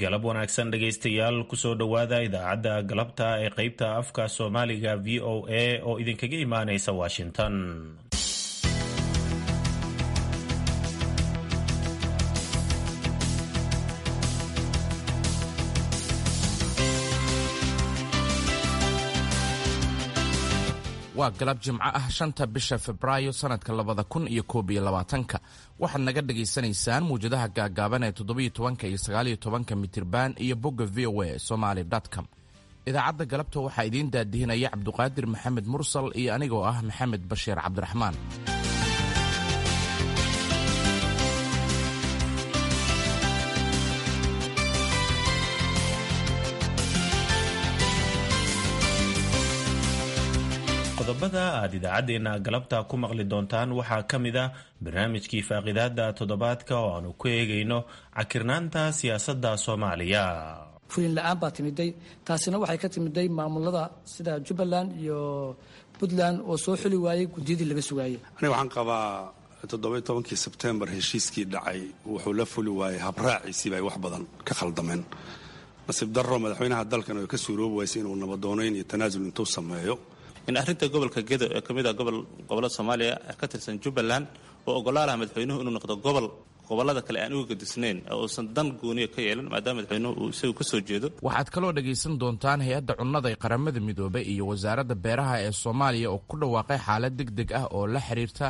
Galab wanaagsan dhegaystayaal, kusoo dhowaada idaacadda galabta ee qeybta afka Soomaaliga VOA oo idinkaga imaanaysa Washington. Waa galab Jimco ah, 5-ta bisha Febraayo sanadka 2021-ka. Waxaad naga dhagaysanaysaan muwjadaha gaagaaban ee 17-ka iyo 19-ka mitirban iyo bogga VOA Somaly com. Idaacadda galabta waxaa idiin daadihinaya Cabduqaadir Maxamed Mursal iyo anigoo ah Maxamed Bashiir Cabdiraxmaan. Qodobada aad idaacaddeenna galabta ku maqli doontaan waxaa ka mid ah barnaamijkii faaqidaada toddobaadka oo aanu ku eegayno cakirnaanta siyaasadda Soomaaliya. Fulin la-aan baa timiday, taasina waxay ka timiday maamulada sida Jubbaland iyo Puntland oo soo xuli waayey guddiyadii laga sugaayey. Aniga waxaan qabaa 17-kii Sebtembar heshiiskii dhacay wuxuu la fuli waayey habraaciisii bay wax badan ka khaldameen. Nasiib darro, madaxweynaha dalkan oo ka suuroobi waysay inuu nabadoonayn iyo tanaasul intuu sameeyo. In arrinta gobolka Gedo ee ka mid ah gobolada Soomaaliya ka tirsan Jubbaland oo ogolaalaha madaxweynuhu inuu noqdo gobol gobollada kale aan uga gadisnayn oo uusan dan gooniya ka yeelan, maadaama madaxweynuhu uu isagu ka soo jeedo. Waxaad kaloo dhagaysan doontaan hay-adda cunnada ee Qaramada Midoobay iyo wasaaradda beeraha ee Soomaaliya oo ku dhawaaqay xaalad deg deg ah oo la xiriirta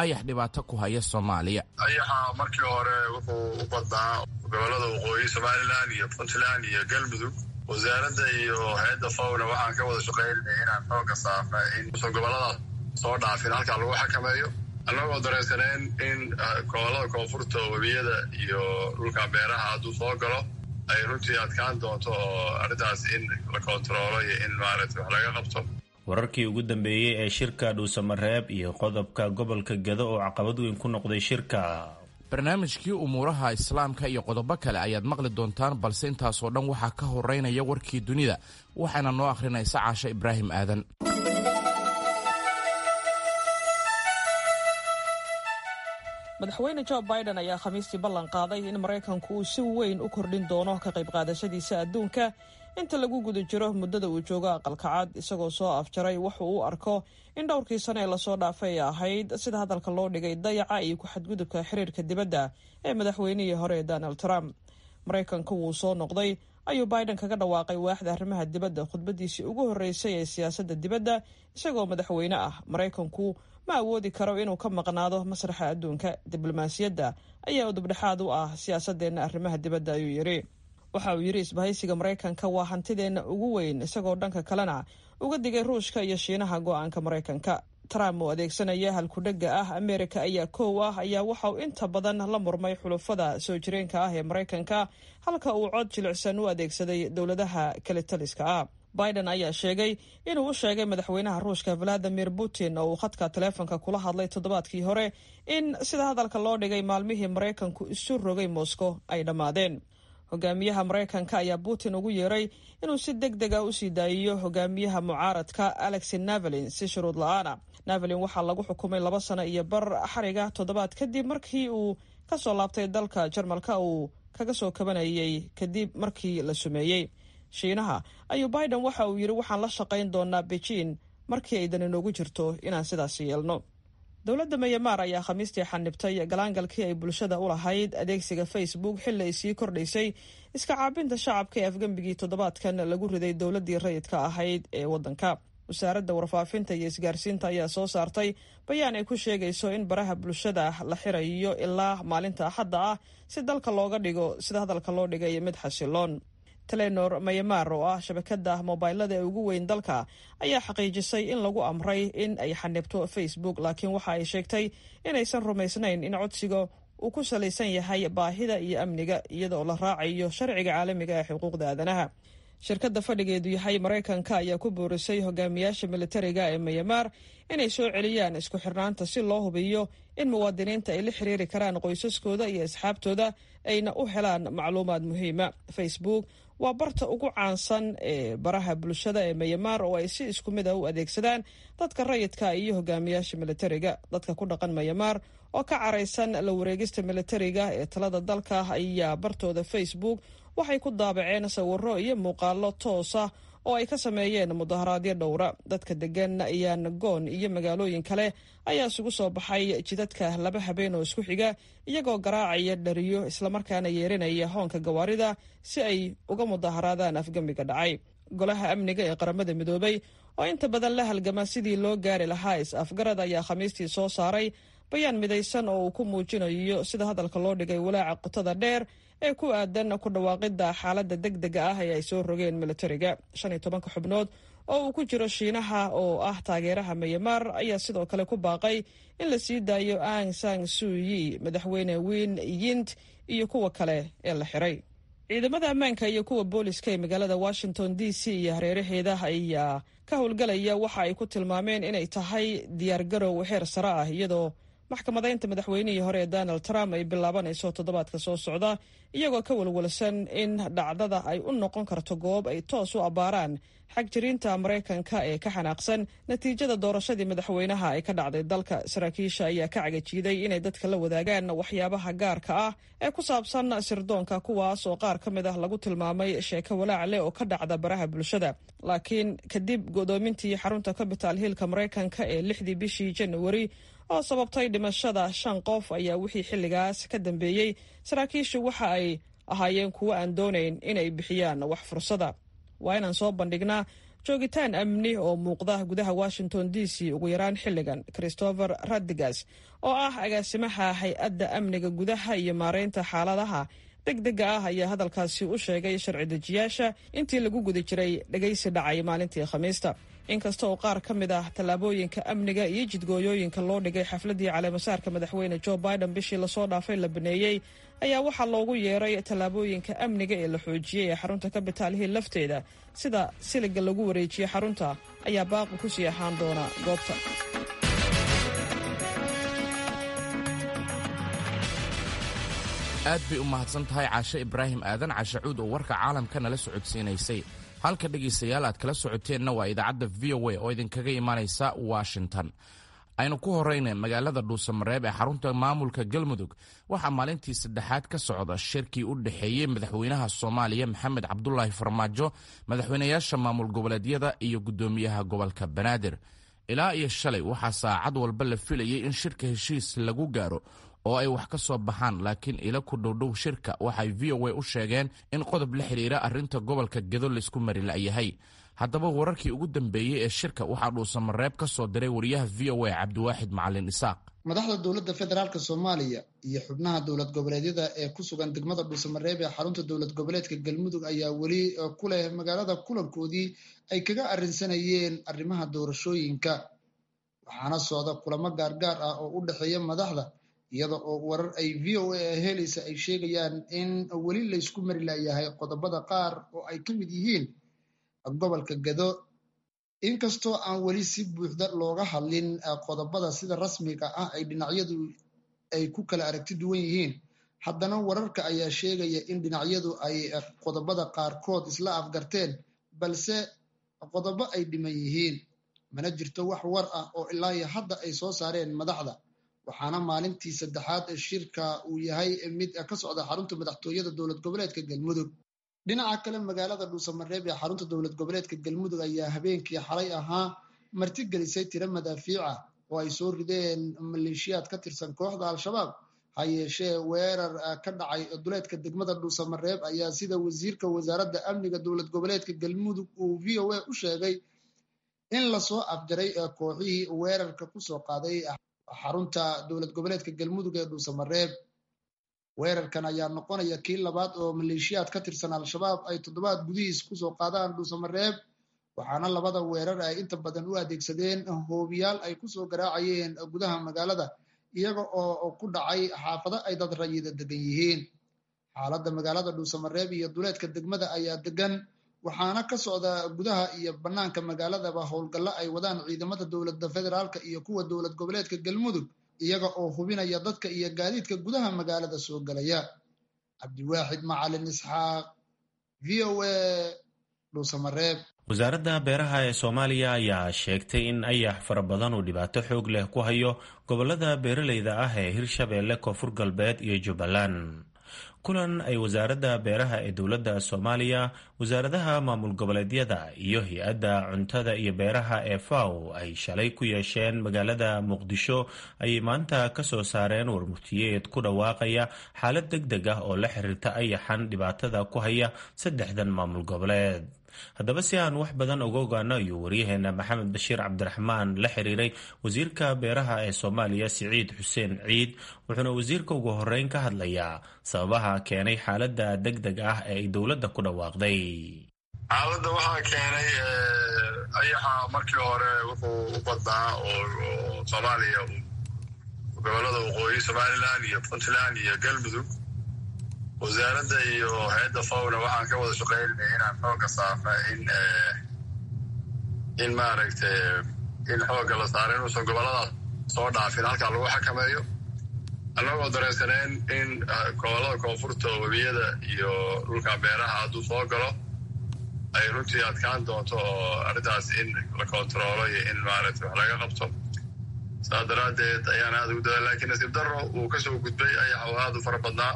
ayax dhibaato ku haya Soomaaliya. Ayaxa markii hore wuxuu u badnaa gobollada waqooyi, Somalilan iyo Puntland iyo Galmudug. Wasaaradda iyo hay-adda FAO-na waxaan ka wada shaqaynay inaan xooga saarna in usan gobolladaas soo dhaafin, halkaa lagu xakameeyo, annagoo dareensaneen in gobollada koonfurta, webiyada iyo dhulka beeraha hadduu soo galo ay runtii adkaan doonto oo arrintaas in la kontaroolo iyo in maaragta wax laga qabto. Wararkii ugu dambeeyey ee shirka Dhuusamareeb iyo qodobka gobolka Gado oo caqabad weyn ku noqday shirka. Barnaamijkii umuuraha Islaamka iyo qodobo kale ayaad maqli doontaan, balse intaasoo dhan waxaa ka horeynaya warkii dunida, waxaana noo akhrinaysa Caasha Ibraahim Aadan. Madaxweyne Joe Biden ayaa Khamiistii ballan qaaday in Maraykanku uu si weyn u kordhin doono ka qayb qaadashadiisa adduunka inta lagu guda jiro muddada uu joogo Aqalka Cad, isagoo soo afjaray wuxuu u arko in dhowrkii sano ee lasoo dhaafay ay ahayd, sida hadalka loo dhigay, dayaca iyo ku-xadgudubka xiriirka dibadda ee madaxweynihii hore ee Donald Trump. "Maraykanku wuu soo noqday," ayuu Biden kaga dhawaaqay waaxda arrimaha dibadda khudbadiisii ugu horreysay ee siyaasadda dibadda isagoo madaxweyne ah. "Maraykanku ma awoodi karo inuu ka maqnaado masraxa adduunka. Diblomaasiyadda ayaa udubdhexaad u ah siyaasadeenna arrimaha dibadda," ayuu yidhi. Waxa uu yidhi isbahaysiga Maraykanka waa hantideenna ugu weyn, isagoo dhanka kalena uga digay Ruushka iyo Shiinaha go'aanka Maraykanka. Trump oo adeegsanaya halkudhegga ah "Amerika ayaa koow ah" ayaa waxa uu inta badan la murmay xulufada soo jireenka ah ee Maraykanka, halka uu cod jilicsan u adeegsaday dowladaha kalitaliska ah. Biden ayaa sheegay inuu u sheegay madaxweynaha Ruushka Valadimir Putin oo uu khadka taleefonka kula hadlay toddobaadkii hore in, sida hadalka loo dhigay, maalmihii Maraykanku isu rogay Moscow ay dhammaadeen. Hogaamiyaha Maraykanka ayaa Putin ugu yeeray inuu si deg deg ah usii daayiyo hogaamiyaha mucaaradka Alexi Navalin si shuruud la-aana. Navalin waxaa lagu xukumay 2 sano iyo bar xariga toddobaad kadib markii uu ka soo laabtay dalka Jarmalka uu kaga soo kabanayay kadib markii la sumeeyey. Shiinaha ayuu Biden waxa uu yidhi waxaan la shaqayn doonaa Beijing markii ay dani noogu jirto inaan sidaas yeelno. Dowladda Mayamaar ayaa Khamiistii xanibtay galaangalkii ay bulshada u lahayd adeegsiga Facebook xilli ay sii kordhaysay iska caabinta shacabka ee afgembigii toddobaadkan lagu riday dowladdii rayidka ahayd ee waddanka. Wasaaradda warfaafinta iyo isgaarsiinta ayaa soo saartay bayaan ay ku sheegayso in baraha bulshada la xirayo ilaa maalinta Axadda ah si dalka looga dhigo, sida hadalka loo dhigay, mid xasiloon. Telenor Mayamar oo ah shabakada mobaylada ee ugu weyn dalka ayaa xaqiijisay in lagu amray in ay xanibto Facebook, laakiin waxa ay sheegtay inaysan rumaysnayn in codsiga uu ku salaysan yahay baahida iyo amniga, iyadoo la raacayo sharciga caalamiga ee xuquuqda aadanaha. Shirkadda fadhigeedu yahay Maraykanka ayaa ku boorisay hogaamiyaasha militariga ee Mayamaar inay soo celiyaan isku xirnaanta si loo hubiyo in muwaadiniinta ay la xiriiri karaan qoysaskooda iyo asxaabtooda, ayna u helaan macluumaad muhiima. Facebook waa barta ugu caansan ee baraha bulshada ee Mayamaar oo ay si isku mid ah u adeegsadaan dadka rayidka iyo hogaamiyaasha militariga. Dadka ku dhaqan Mayamaar oo ka caraysan la wareegista militariga ee talada dalka ayaa bartooda Facebook waxay ku daabaceen sawirro iyo muuqaallo toosa oo ay ka sameeyeen mudaharaadyo dhowra. Dadka degan Yangon iyo magaalooyin kale ayaa isugu soo baxay jidadka laba habeen oo isku xiga, iyagoo garaacaya dhariyo islamarkaana yeerinaya hoonka gawaarida si ay uga mudaharaadaan afgembiga dhacay. Golaha amniga ee Qaramada Midoobay oo inta badan la halgama sidii loo gaari lahaa is-afgarad ayaa Khamiistii soo saaray bayaan midaysan oo uu ku muujinayo, sida hadalka loo dhigay, walaaca qotada dheer ee ku aadan ku dhawaaqidda xaaladda degdega ah ee ay soo rogeen militariga. 15-ka xubnood oo uu ku jiro Shiinaha oo ah taageeraha Myanmar ayaa sidoo kale ku baaqay in la sii daayo Ang San Suyi, madaxweyne Win Yint iyo kuwa kale ee la xiray. Ciidamada ammaanka iyo kuwa booliska ee magaalada Washington DC iyo hareeraheeda ayaa ka howlgalaya waxa ay ku tilmaameen inay tahay diyaargarow xeer sare ah, iyadoo maxkamadaynta madaxweynihii hore ee Donald Trump ay bilaabanayso toddobaadka soo socda, iyagoo ka walwalsan in dhacdada ay u noqon karto goob ay toos u abbaaraan xagjiriinta Maraykanka ee ka xanaaqsan natiijada doorashadii madaxweynaha ay ka dhacday dalka. Saraakiisha ayaa ka cagajiiday inay dadka la wadaagaan waxyaabaha gaarka ah ee ku saabsan sirdoonka, kuwaas oo qaar ka mid ah lagu tilmaamay sheeko walaac leh oo ka dhacda baraha bulshada. Laakiin kadib godoomintii xarunta Capital Hillka Maraykanka ee 6-dii bishii Januari oo sababtay dhimashada shan qof ayaa wixii xilligaas ka dambeeyey saraakiishu waxa ay ahaayeen kuwo aan doonayn inay bixiyaan wax fursada. Waa inaan soo bandhignaa joogitaan amni oo muuqda gudaha Washington DC ugu yaraan xilligan, Christopher Radigas oo ah agaasimaha hay-adda amniga gudaha iyo maareynta xaaladaha degdega ah ayaa hadalkaasi u sheegay sharci dejiyaasha intii lagu guda jiray dhegaysi dhacay maalintii Khamiista. Inkasta oo qaar ka mid ah tallaabooyinka amniga iyo jidgooyooyinka loo dhigay xafladdii caleemasaarka madaxweyne Joe Biden bishii lasoo dhaafay la baneeyey, ayaa waxaa loogu yeeray tallaabooyinka amniga ee la xoojiyey ee xarunta Capital Hill lafteeda, sida siliga lagu wareejiyey xarunta, ayaa baaqi kusii ahaan doona goobta. Aad bay u mahadsan tahay Caashe Ibraahim Aadan Cashacuud oo warka caalamka nala socodsiinaysay. Halka dhegaystayaal aad kala socoteenna waa idaacadda VOA oo idinkaga imaanaysa Washington. Aynu ku horayna magaalada Dhuusamareeb ee xarunta maamulka Galmudug waxaa maalintii saddexaad ka socda shirkii u dhexeeyey madaxweynaha Soomaaliya Maxamed Cabdulaahi Farmaajo, madaxweynayaasha maamul goboleedyada iyo guddoomiyaha gobolka Banaadir. Ilaa iyo shalay waxaa saacad walba la filayey in shirka heshiis lagu gaaro oo ay wax ka soo baxaan, laakiin ilo ku dhowdhow shirka waxay VOA u sheegeen in qodob la xidhiira arrinta gobolka Gedo laysku mari la'yahay. Haddaba wararkii ugu dambeeyey ee shirka waxaa Dhuusamareeb ka soo diray wariyaha VOA Cabdiwaaxid Macalin Isaaq. Madaxda dowladda federaalk Soomaaliya iyo xubnaha dowlad goboleedyada ee ku sugan degmada Dhuusamareeb ee xarunta dowlad goboleedka Galmudug ayaa weli ku leh magaalada kulankoodii ay kaga arrinsanayeen arrimaha doorashooyinka, waxaana socda kulamo gaargaar ah oo u dhexeeya madaxda, iyada oo warar ay VOA helaysa ay sheegayaan in weli laysku mari layahay qodobada qaar oo ay ka mid yihiin gobolka Gado. Inkastoo aan weli si buuxda looga hadlin qodobada sida rasmiga ah ay dhinacyadu ay ku kala aragti duwan yihiin, haddana wararka ayaa sheegaya in dhinacyadu ay qodobada qaarkood isla afgarteen, balse qodobo ay dhiman yihiin. Mana jirto wax war ah oo ilaa iyo hadda ay soo saareen madaxda, waxaana maalintii saddexaad shirka uu yahay mid ka socda xarunta madaxtooyada dowlad goboleedka Galmudug. Dhinaca kale, magaalada Dhuusamareeb ee xarunta dowlad goboleedka Galmudug ayaa habeenkii xalay ahaa martigelisay tiro madaafiica oo ay soo rideen maleeshiyaad ka tirsan kooxda Al-Shabaab. Ha yeeshee weerar ka dhacay duleedka degmada Dhuusamareeb ayaa, sida wasiirka wasaaradda amniga dowlad goboleedka Galmudug uu VOA u sheegay, in lasoo afjaray kooxihii weerarka kusoo qaaday xarunta dowlad goboleedka Galmudug ee Dhuusamareeb. Weerarkan ayaa noqonaya kii labaad oo maleeshiyaad ka tirsan Al-Shabaab ay toddobaad gudihiis kusoo qaadaan Dhuusamareeb, waxaana labada weerar ay inta badan u adeegsadeen hoobiyaal ay kusoo garaacayeen gudaha magaalada, iyaga oo ku dhacay xaafado ay dad rayida degan yihiin. Xaaladda magaalada Dhuusamareeb iyo duleedka degmada ayaa degan, waxaana ka socda gudaha iyo bannaanka magaaladaba howlgallo ay wadaan ciidamada dowladda federaalka iyo kuwa dowlad goboleedka Galmudug, iyaga oo hubinaya dadka iyo gaadiidka gudaha magaalada soo galaya. Cabdiwaaxid Macalin Isxaaq, VOA, Dhuusamareeb. Wasaaradda beeraha ee Soomaaliya ayaa sheegtay in ayax fara badan uu dhibaato xoog leh ku hayo gobolada beeralayda ah ee Hirshabeelle, Koonfur Galbeed iyo Jubbaland. Kulan ay wasaaradda beeraha ee dowladda Soomaaliya, wasaaradaha maamul goboleedyada iyo hay-adda cuntada iyo beeraha ee FAO ay shalay ku yeesheen magaalada Muqdisho ayay maanta ka soo saareen warmurtiyeed ku dhawaaqaya xaalad deg deg ah oo la xiriirta ayaxan dhibaatada ku haya saddexdan maamul goboleed. Haddaba, si aan wax badan uga ogaano, ayuu waryaheena Maxamed Bashiir Cabdiraxmaan la xiriiray wasiirka beeraha ee Soomaaliya, Siciid Xuseen Ciid, wuxuuna wasiirka ugu horeyn ka hadlayaa sababaha keenay xaaladda deg deg ah ee ay dowladda ku dhawaaqday. Xaaladda waxaa keenay ayaxa. Markii hore wuxuu u badnaa oo Soomaaliya gobolada waqooyi, Somaliland iyo Puntland iyo Galmudug. Wasaaradda iyo hay-adda FAO-na waxaan ka wada shaqeynay inaan xoogga saarna in maaragtay in xoogga la saaro inuusan goboladaas soo dhaafin, halkaa lagu xakameeyo, annagoo dareensaneen in gobolada koonfurta, webiyada iyo dhulka beeraha hadduu soo galo ay runtii adkaan doonto oo arrintaas in la kontaroolo iyo in maaragtay wax laga qabto. Saas daraaddeed ayaan aada ugu dadaal, lakiin nasiib darro uu kasoo gudbay ayax oo aada u fara badnaa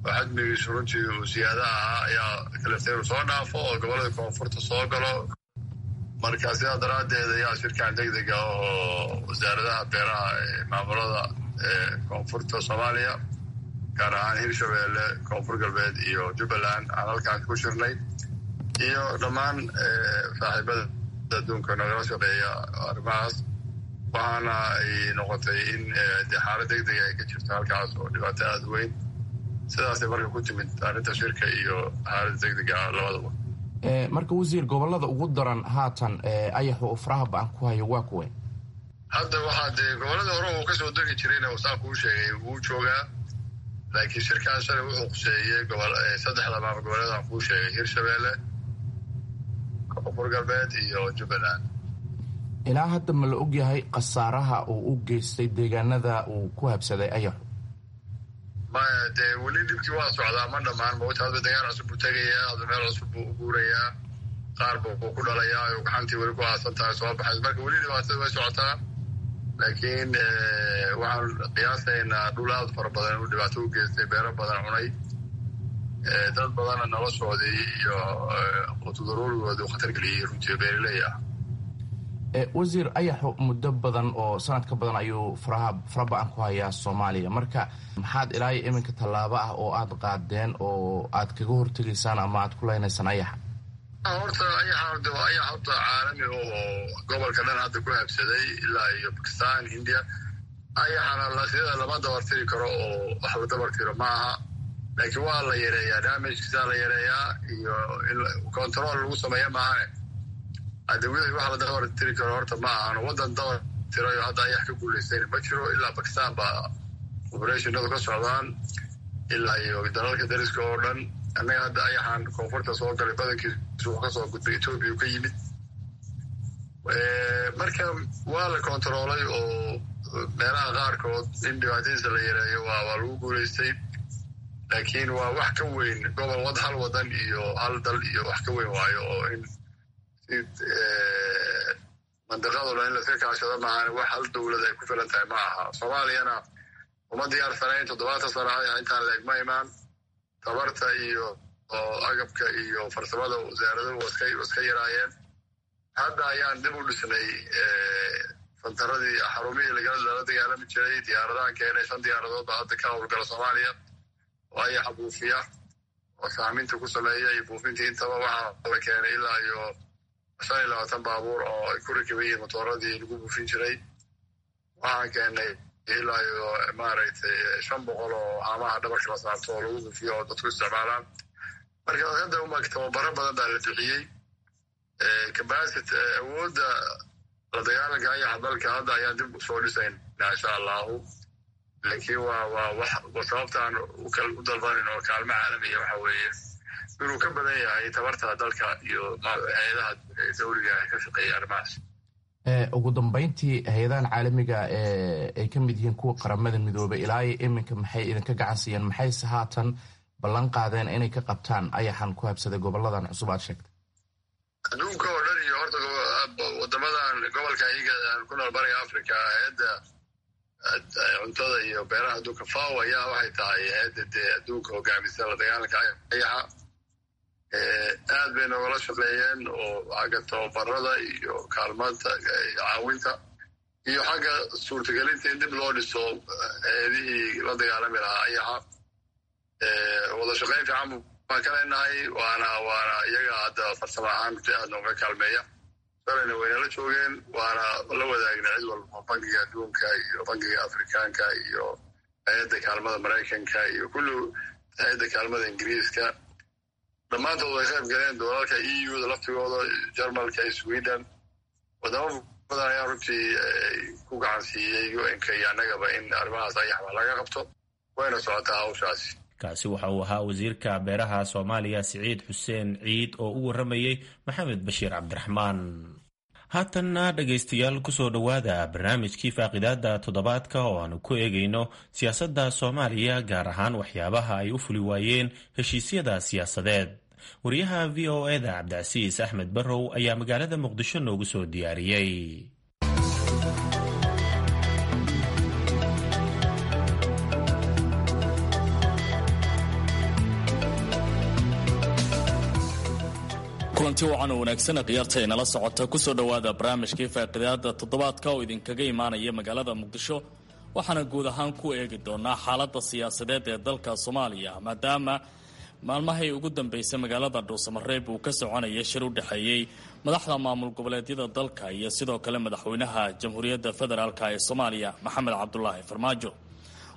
oo xajmigiisu runtii uu siyaada ahaa ayaa kaliftay inuu soo dhaafo oo gobolada koonfurta soo galo. Marka sidaa daraaddeed ayaa shirkan deg dega oo wasaaradaha beeraha ee maamulada ee koonfurta Soomaaliya, gaar ahaan Hirshabeelle, Koonfur Galbeed iyo Jubbaland, aan halkaan ku shirnay iyo dhammaan saaxiibada adduunka nagala shaqeeya arrimahaas. Waxaana ay noqotay in dee xaalad deg dega ay ka jirto halkaas oo dhibaato aada weyn. Sidaasay marka ku timid arrinta shirka iyo xaaladda deg dega labadaba. Marka wasiir, gobolada ugu daran haatan ayaxu uu faraha ba-an ku hayo waa kuwe? Hadda waxaa dee gobolada hore uu kasoo degi jirayna saan kuu sheegay wuu joogaa, laakiin shirkan shalay wuxuu quseeyey saddexda maamul goboleed aan kuu sheegay: Hirshabeelle, Koonfur Galbeed iyo Jubbaland. Ilaa hadda ma la ogyahay khasaaraha uu u geystay deegaanada uu ku habsaday ayaxu? Maya, dee weli dhibkii waa socdaa, ma dhammaan mawta. Hadba degaan cusub buu tegayaa, hadba meel cusub buu u guurayaa, qaar buu ku dhalayaa oo gaxantii weli ku aasan tahay soo baxays. Marka weli dhibaatada way socotaa, laakiin waxaan qiyaasaynaa dhul aad fara badan inuu dhibaato u geystay, beero badan cunay, dad badanna noloshoodii iyo qutudaruurigoodii u khatar geliyey runtii, beeraley ah. Wasiir, ayaxu muddo badan oo sanad ka badan ayuu faraha fara ba-an ku hayaa Soomaaliya. Marka maxaad ilaa iyo iminka tallaabo ah oo aad qaadeen oo aad kaga hortegaysaan ama aad ku leynaysaan ayaxa? Horta ayaxa waa ayax horta caalami oo gobolka dhan hadda ku habsaday, ilaa iyo Bakistan, Hindiya. Ayaxana sida lama dabartiri karo oo wax la dabartiro ma aha, laakiin waa la yareeyaa, damage-kiisaa la yareeyaa iyo in control lagu sameeya maahane. Hadda wixii wax la dabartiri karo horta ma ahano. Waddan dabar tirayo hadda ayax ka guulaystayna ma jiro. Ilaa Bakistan baa operation-adu ka socdaan, ilaa iyo dalalka dariska oo dhan. Annaga hadda ayaxan koonfurta soo galay badankiisu wuxuu kasoo gudbay Etoobiya ka yimid. Marka waa la kontaroolay oo meelaha qaarkood in dhibaatadiisa la yareeyo waa lagu guulaystay, laakiin waa wax ka weyn gobol wad hal wadan iyo hal dal iyo wax ka weyn waayo, oo in si mandiqado dhan in laska kaashado maahan, wax hal dowlad ay ku filan tahay ma aha. Soomaaliyana uma diyaarsanayn. 70 sano intaan leeg ma imaan. Tabarta iyo agabka iyo farsamada wasaaraduhu iska yaraayeen. Hadda ayaan dib u dhisnay santaradii, xarumihii lala dagaalami jiray. Diyaaradahan keenay, shan diyaaradood baa hadda ka howlgala Soomaaliya oo ayaxa buufiya oo saaminta ku sameeya iyo buufintii intaba. Waxaa la keenay ilaa iyo 25 baabuur oo ay ku rakiban yihiin motooradii lagu buufin jiray. Waxaan keenay ilaa iyo maaragtay 500 oo haamaha dhabarka la saarto oo lagu buufiyo oo dadku isticmaalaan. Marka hadda uma tababaro badan baa la bixiyey. Capacity, awoodda la dagaalanka ayaxa dalka hadda ayaan dib usoo dhisaynaa, insha Allahu. Laakiin waa wax sababtaan u dalbanin oo kaalmo caalamiya waxa weeye inuu ka badan yahay tabarta dalka iyo hay-adaha dawliga ka shaqeeya arrimahaas. Ugu dambeyntii, hay-adahan caalamiga ee ay ka mid yihiin kuwa Qaramada Midoobay ilaa iyo iminka maxay idinka gacan siiyeen? Maxayse haatan ballan qaadeen inay ka qabtaan ayaxan ku habsaday goboladan cusub aad sheegtay? Adduunka oo dhan iyo horta wadamadan gobolka iyaga aan ku nool, Bariga Africa, hay-adda cuntada iyo beeraha adduunka FAO ayaa waxay tahay hay-adda dee adduunka hogaamisa la dagaalanka ayaxa. Aad bay noogala shaqeeyeen oo xagga tababarada iyo kaalmaanta, caawinta iyo xagga suurtagelinta in dib loo dhiso hay-adihii la dagaalami lahaa ayaxa. Wada shaqeyn fiican baan ka leenahay, waana iyaga hadda farsamo ahaan si aad nooga kaalmeeya. Shalayna waynala joogeen, waana la wadaagna cid walba, Bankiga Adduunka iyo Bankiga Afrikaanka iyo hay-adda kaalmada Maraykanka iyo kullu hay-adda kaalmada Ingiriiska. Dhammaantood way qayb galeen, doolalka EU da laftigooda, Jarmalka, Sweden, wadamo badan ayaa runtii ku gacan siiyey UN-ka iyo annagaba in arrimahaas ayax wax laga qabto. Wayna socotaa hawshaasi. Kaasi waxa uu ahaa wasiirka beeraha Soomaaliya Siciid Xuseen Ciid oo u warramayey Maxamed Bashiir Cabdiraxmaan. Haatanna dhegaystayaal, kusoo dhowaada barnaamijkii faaqidaada toddobaadka oo aanu ku eegayno siyaasadda Soomaaliya, gaar ahaan waxyaabaha ay u fuli waayeen heshiisyada siyaasadeed. Wariyaha VOA-da Cabdicasiis Axmed Barrow ayaa magaalada Muqdisho noogu soo diyaariyey. Kulanti wacan oo wanaagsan, khiyaarta inala socota, kusoo dhowaada barnaamijkii faaqidaada toddobaadka oo idinkaga imaanaya magaalada Muqdisho. Waxaana guud ahaan ku eegi doonaa xaaladda siyaasadeed ee dalka Soomaaliya, maadaama maalmahay ugu dambeysay magaalada Dhuusamareeb uu ka soconaya shir u dhexeeyey madaxda maamul goboleedyada dalka iyo sidoo kale madaxweynaha Jamhuuriyadda Federaalk ee Soomaaliya Maxamed Cabdulaahi Farmaajo.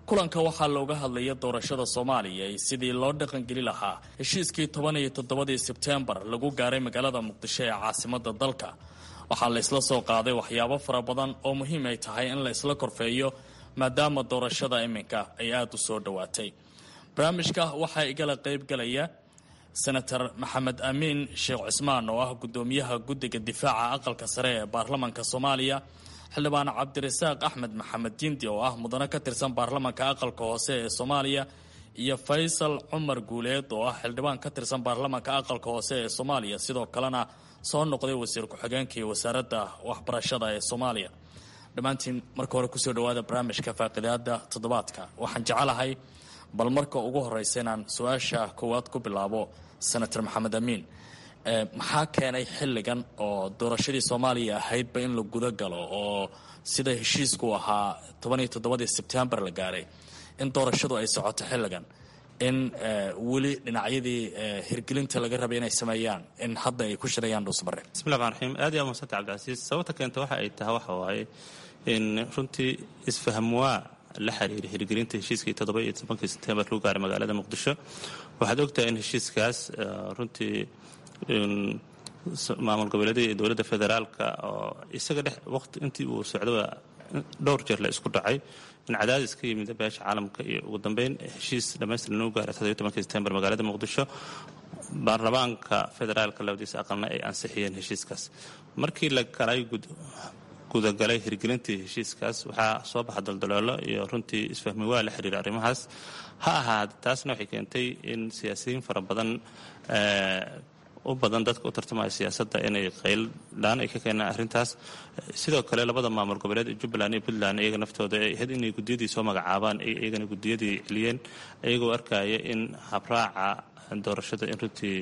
Kulanka waxaa looga hadlaya doorashada Soomaaliya iyo sidii loo dhaqangeli lahaa heshiiskii 17-dii Sebtembar lagu gaaray magaalada Muqdisho ee caasimada dalka. Waxaa la isla soo qaaday waxyaabo fara badan oo muhiim ay tahay in la isla korfeeyo, maadaama doorashada iminka ay aada u soo dhowaatay. Barnaamijka waxaa igala qaybgalaya Senator Maxamed Amiin Sheekh Cismaan oo ah gudoomiyaha guddiga difaaca aqalka sare ee baarlamanka Soomaaliya, xildhibaan Cabdirasaaq Axmed Maxamed Jindi oo ah mudane ka tirsan baarlamanka aqalka hoose ee Soomaaliya, iyo Faysal Cumar Guuleed oo ah xildhibaan ka tirsan baarlamanka aqalka hoose ee Soomaaliya, sidoo kalena soo noqday wasiir ku-xigeenkii wasaaradda waxbarashada ee Soomaaliya. Dhammaantiin marka hore kusoo dhawaada barnaamijka faaqidaada toddobaadka. Waxaan jecelahay bal marka ugu horeysa inaan su-aasha koowaad ku bilaabo Senator Maxamed Amiin. Maxaa keenay xilligan oo doorashadii Soomaaliya ahaydba in la guda galo, oo sida heshiisku ahaa 17-dii Sebtembar la gaaray in doorashadu ay socoto xilligan, in weli dhinacyadii hirgelinta laga rabay inay sameeyaan in hadda ay ku shirayaan Dhuusmare? Bismillah raxmaan raxiim. Aad iyo aad mahadsanta, Cabdicasiis. Sababta keenta waxa ay tahay waxa waaye in runtii isfahmwaa la xiriiray hirgelinta heshiiskii 17-kii Sebtembar lagu gaaray magaalada Muqdisho. Waxaad ogtahay in heshiiskaas runtii maamul goboleedyada iyo dowladda federaalka oo isaga dhex waqti intii uu socdaba dhowr jeer la isku dhacay, in cadaadis ka yimid beesha caalamka iyo ugu dambeyn heshiis dhammaystiran lagu gaaray 17-kii Sebtembar magaalada Muqdisho, baarlamaanka federaalka labadiisa aqalna ay ansixiyeen heshiiskaas. Markii la galay gudagalay hirgelintii heshiiskaas, waxaa soo baxa daldaloolo iyo runtii isfahmi waa la xiriira arrimahaas ha ahaada. Taasna waxay keentay in siyaasiyiin fara badan, u badan dadka u tartamaya siyaasadda, inay qayldhaan ay ka keenaan arrintaas. Sidoo kale labada maamul goboleed ee Jubbaland iyo Puntland iyaga naftooda ay ahayd inay guddiyadii soo magacaabaan, ay iyagana guddiyadii celiyeen, iyagoo arkaya in habraaca doorashada in runtii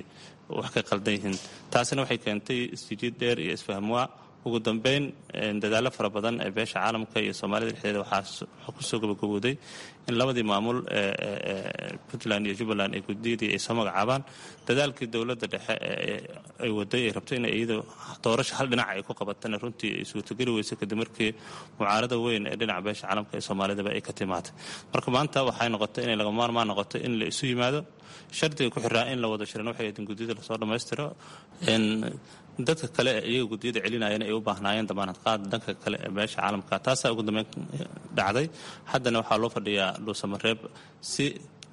wax ka qaldan yihiin. Taasina waxay keentay isjijiid dheer iyo isfahmwaa. Ugu dambeyn dadaallo fara badan ee beesha caalamka iyo Soomaalida dhexdeeda waxaa kusoo gabagabooday in labadii maamul Puntland iyo Jubbaland ee guddiyadii ay soo magacaabaan. Dadaalkii dowladda dhexe ay waday, ay rabto in iyada doorasho hal dhinac ay ku qabatana, runtii ay suurtogeli weyso kadib markii mucaarada weyn ee dhinaca beesha caalamka ee Soomaalidaba ay ka timaatay. Marka maanta waxay noqotay inay lagama maarmaan noqoto in la isu yimaado. Shardiga ku xiraa in la wada shiran waxay ahayd in guddiyada lasoo dhammaystiro, dadka kale ee iyaga guddiyada celinayana ay u baahnaayeen damaanad qaad dhanka kale ee beesha caalamka. Taasaa ugu dambeyn dhacday. Haddana waxaa loo fadhiyaa Dhuusamareeb si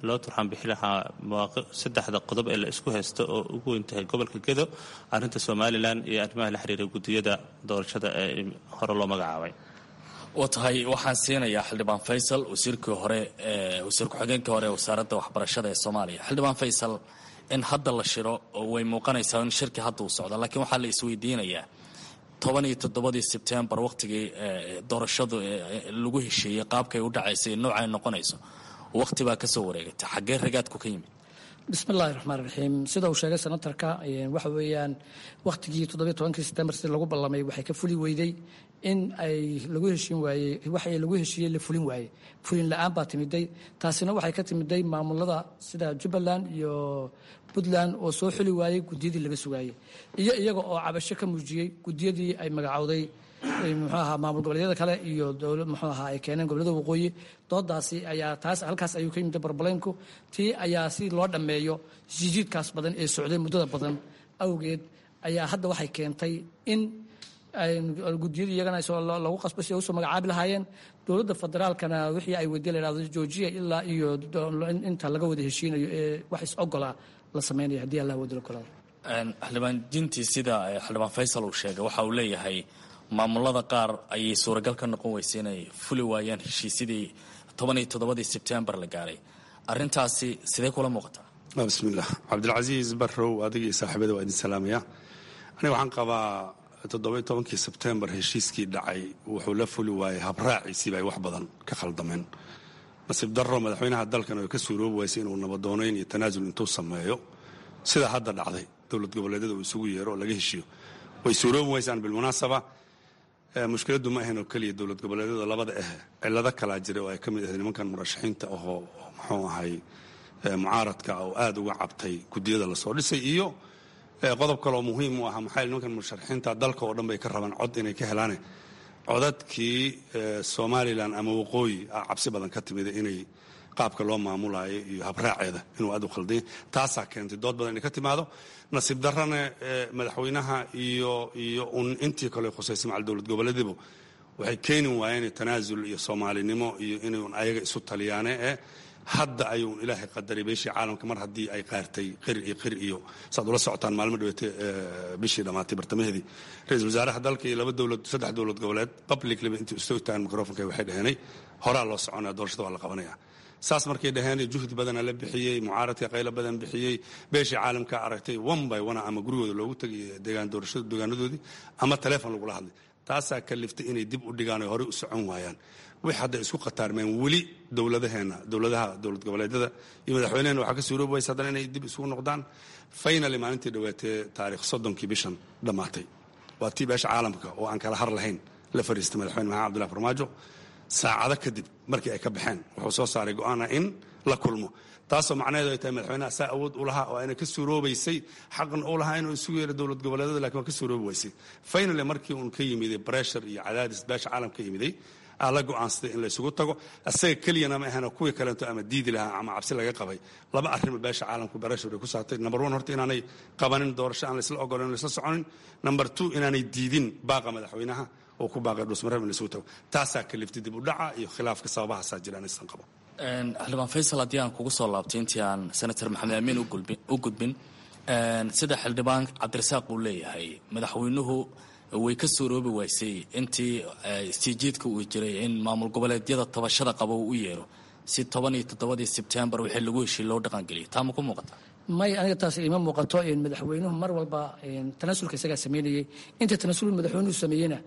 loo turxaan bixi lahaa mawaaqi saddexda qodob ee la isku haysto, oo ugu weyn tahay gobolka Gedo, arrinta Somalilan iyo arrimaha la xiriira guddiyada doorashada ee hore loo magacaabay. Waa tahay. Waxaan siinayaa xildhibaan Faysal, wasiirkii hore, wasiir ku-xigeenkii hore ee wasaaradda waxbarashada ee Soomaaliya. Xildhibaan Faysal, in hadda la shiro oo way muuqanaysaa in shirki hadda uu socdo, laakiin waxaa la isweydiinayaa 17-dii sebtembar wakhtigii doorashadu lagu heshiiyey qaabkay u dhacaysay noocay noqonayso wakhti baa ka soo wareegatay, xaggee ragaadku ka yimid? Bismillahi raxmaan raxiim. Sida uu sheegay senatarka, waxa weeyaan wakhtigii 17-kii sebtembar sida lagu ballamay waxay ka fuli weyday in ay lagu heshiin waayey, waxay lagu heshiiyey la fulin waayey. Fulin la-aan baa timiday, taasina waxay ka timiday maamulada sida Jubbaland iyo Puntland oo soo xuli waayey guddiyadii laga sugaayey, iyo iyaga oo cabasho ka muujiyey guddiyadii ay magacowday muxuu ahaa maamul goboleedyada kale iyo dowlad muxuu ahaa ay keeneen gobollada waqooyi. Doodaasi ayaa taas halkaas ayuu ka yimid problemku. Tii ayaa si loo dhammeeyo jijiidkaas badan ee socday muddada badan awgeed ayaa hadda waxay keentay in guddiyadii iyagana lagu qasbo si ay usoo magacaabi lahaayeen. Dowladda federaalkana wixii ay weydiye la yidhahdo joojiya ilaa iyo inta laga wada heshiinayo ee wax is ogolaa la sameynaya haddii Allah wada ogolaado. Xildhibaan Jinti, sida xildhibaan Faysal uu sheegay, waxa uu leeyahay maamulada qaar ayay suuragal ka noqon weysay inay fuli waayaan heshiisyadii 17-dii sebtembar la gaaray. Arrintaasi sidee kula muuqataa? Bismillaah. Cabdilcasiis Barrow, adiga iyo saaxiibada waa idin salaamaya. Aniga waxaan qabaa 17-kii sebtembar heshiiskii dhacay wuxuu la fuli waayey habraaciisiiba ay wax badan ka khaldameen. Nasiib darro, madaxweynaha dalkan oo ka suuroobi waysay inuu nabadoonayn iyo tanaasul intuu sameeyo sida hadda dhacday dowlad goboleedyada uu isugu yeero oo laga heshiiyo way suuroobi waysaan. Bilmunaasaba, mushkiladdu ma ahayn oo keliya dowlad goboleedyada labada ah, cillado kalaa jira oo ay ka mid ahayd nimankan murashaxiinta ahoo muxuu ahay mucaaradka oo aad uga cabtay guddiyada lasoo dhisay, iyo qodob kaleoo muhiim u ahaa, maxaa nimankan murashaxiinta dalka oo dhan bay ka rabaan cod inay ka helaane, codadkii Somalilan ama waqooyi ah cabsi badan ka timida inay qaabka loo maamulaayo iyo habraaceeda inuu aad u khaldanya. Taasaa keentay dood badan inay ka timaado. Nasiib darrana, madaxweynaha iyo un intii kale khusaysay macal dowlad goboleedibu waxay keeni waayeen tanaasul iyo soomaalinimo iyo inuun ayaga isu taliyaane ee hadda ayuun ilaahay qadaray beeshii caalamka mar haddii ay qaartay qir iyo qir iyo saad ula socotaan maalmo dhaweete bishii dhammaatay bartamaheedii ra-iisul wasaaraha dalka iyo laba dowlad saddex dowlad goboleed publiclyba intii isu taagan microfonka waxay dhaheenay horaa loo soconaya, doorashada waa la qabanaya. Saas markay dhaheen juhdi badana la bixiyey, mucaaradka qaylo badan bixiyey, beeshii caalamka aragtay one by one ama gurigooda loogu tegay deegaan doorashada deegaanadoodii ama taleefon lagula hadlay. Taasaa kaliftay inay dib u dhigaan oy horey u socon waayaan. Wix hadda isku khataarmeen weli dowladaheena, dowladaha dowlad goboleedyada iyo madaxweyneheena, waxaa ka suuroobi waysa haddana inay dib isugu noqdaan. Finally, maalintii dhawaatee taarikh 30-kii bishan dhammaatay waa tii beesha caalamka oo aan kala har lahayn la fariistay madaxweyne Maxamed Cabdullahi Farmaajo. Saacado kadib markii ay ka baxeen wuxuu soo saaray go'aana in la kulmo, taasoo macnaheedu ay tahay madaxweynaha saa awood u lahaa oo ayna ka suuroobaysay, xaqna u lahaa inuu isugu yeero dowlad goboleedyada, lakin waa ka suuroobi waysay. Finally, markii uun ka yimiday pressure iyo cadaadis beesha caalamka ka yimiday, aa la go'aansaday in la isugu tago. Asaga keliyana ma ahana, kuwii kaleento ama diidi lahaa ama cabsi laga qabay. Laba arrimo beesha caalamku pressure ay ku saartay: number one, horta inaanay qabanin doorasho aan laisla ogolan, laisla soconin; number two, inaanay diidin baaqa madaxweynaha oo ku baaqay Dhuusmareeb in la isugu tago. Taasaa kaliftay dib u dhaca iyo khilaafka. Sababahaasaa jira anaysan qabo. Xildhibaan Faysal, haddii aan kugu soo laabtay intii aan senator Maxamed Amiin u gudbin, sida xildhibaan Cabdirasaaq uu leeyahay, madaxweynuhu way ka suuroobi waysay intii istiijiidka uu jiray in maamul goboleedyada tabashada qaba uu u yeero si 17-dii sebtembar wixii lagu heshiy loo dhaqangeliyo. Taa ma ku muuqata? May, aniga taas ima muuqato. Madaxweynuhu mar walba tanaasulka isagaa sameynayey. Inta tanaasul madaxweynuhu sameeyeyna,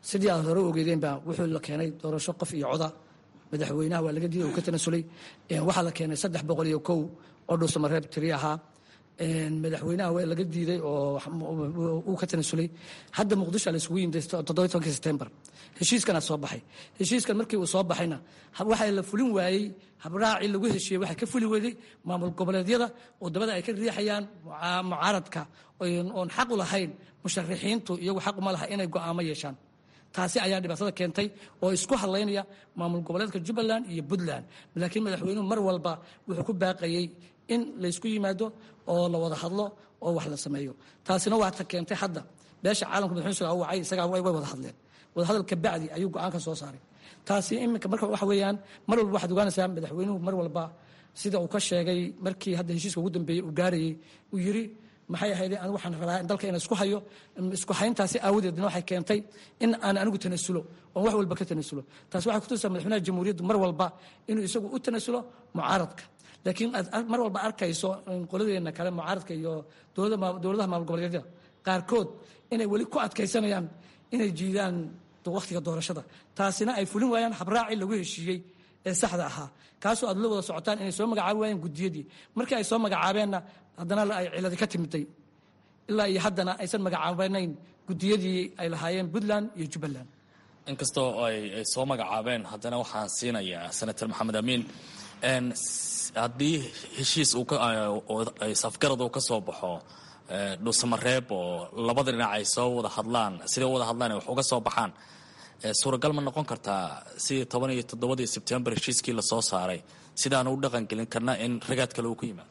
sidii aad hore ogeedeenba, wuxuu la keenay doorasho qof iyo coda. Madaxweynaha waa laga diiday, uu ka tanasulay. Waxaa la keenay 301 oo Dhuusamareeb tiri ahaa. Madaxweynaha waa laga diiday oo uu ka tanasulay. Hadda Muqdisho la isugu yimid 17-kii sebtembar, heshiiskana soo baxay. Heshiiskan markii uu soo baxayna waxaa la fulin waayey habraacii lagu heshiiyey. Waxaa ka fuli weyday maamul goboleedyada oo dabada ay ka riixayaan mucaaradka oon xaq u lahayn. Musharixiintu iyagu xaq uma laha inay go'aamo yeeshaan. Taasi ayaa dhibaatada keentay oo isku hadlaynaya maamul goboleedka Jubbaland iyo Puntland. Laakiin madaxweynuhu mar walba wuxuu ku baaqayey in laysku yimaado oo la wada hadlo oo wax la sameeyo. Taasina waa ta keentay hadda beesha caalamka madaxweynuhu isagaa u wacay, isagaa way wada hadleen. Wadahadal ka bacdi ayuu go'aanka soo saaray. Taasi iminka marka waxa weeyaan mar walba waxaad ogaanaysaa madaxweynuhu mar walba sida uu ka sheegay markii hadda heshiiska ugu dambeeyey uu gaarayey, uu yiri maxay ahayd, anigu waxaan rabaa in dalka inaan isku hayo. Isku hayntaasi aawadeedna waxay keentay in aan anigu tanasulo oon wax walba ka tanasulo. Taasi waxay kutusaa madaxweynaha jamhuuriyaddu mar walba inuu isagu u tanasulo mucaaradka, laakiin aad mar walba arkayso qoladeena kale mucaaradka iyo dowladaha maamul goboleedyada qaarkood inay weli ku adkaysanayaan inay jiidaan wakhtiga doorashada, taasina ay fulin waayaan habraacii lagu heshiiyey ee saxda ahaa, kaasoo aad la wada socotaan inay soo magacaabi waayeen gudiyadii. Markii ay soo magacaabeenna haddana ay ciladi ka timiday, ilaa iyo haddana aysan magacaabanayn gudiyadii ay lahaayeen Puntland iyo Jubbaland. Inkastoo ay soo magacaabeen, haddana waxaan siinayaa Senator Maxamed Amiin. Haddii heshiis safgarad uu ka soo baxo Dhuusamareeb oo labada dhinac ay soo wada hadlaan, siday u wada hadlaan ay wax uga soo baxaan, suuragal ma noqon kartaa sidii 17-dii Sebtembar heshiiskii lasoo saaray sidaanu u dhaqangelin karna in ragaad kale uu ku yimaado?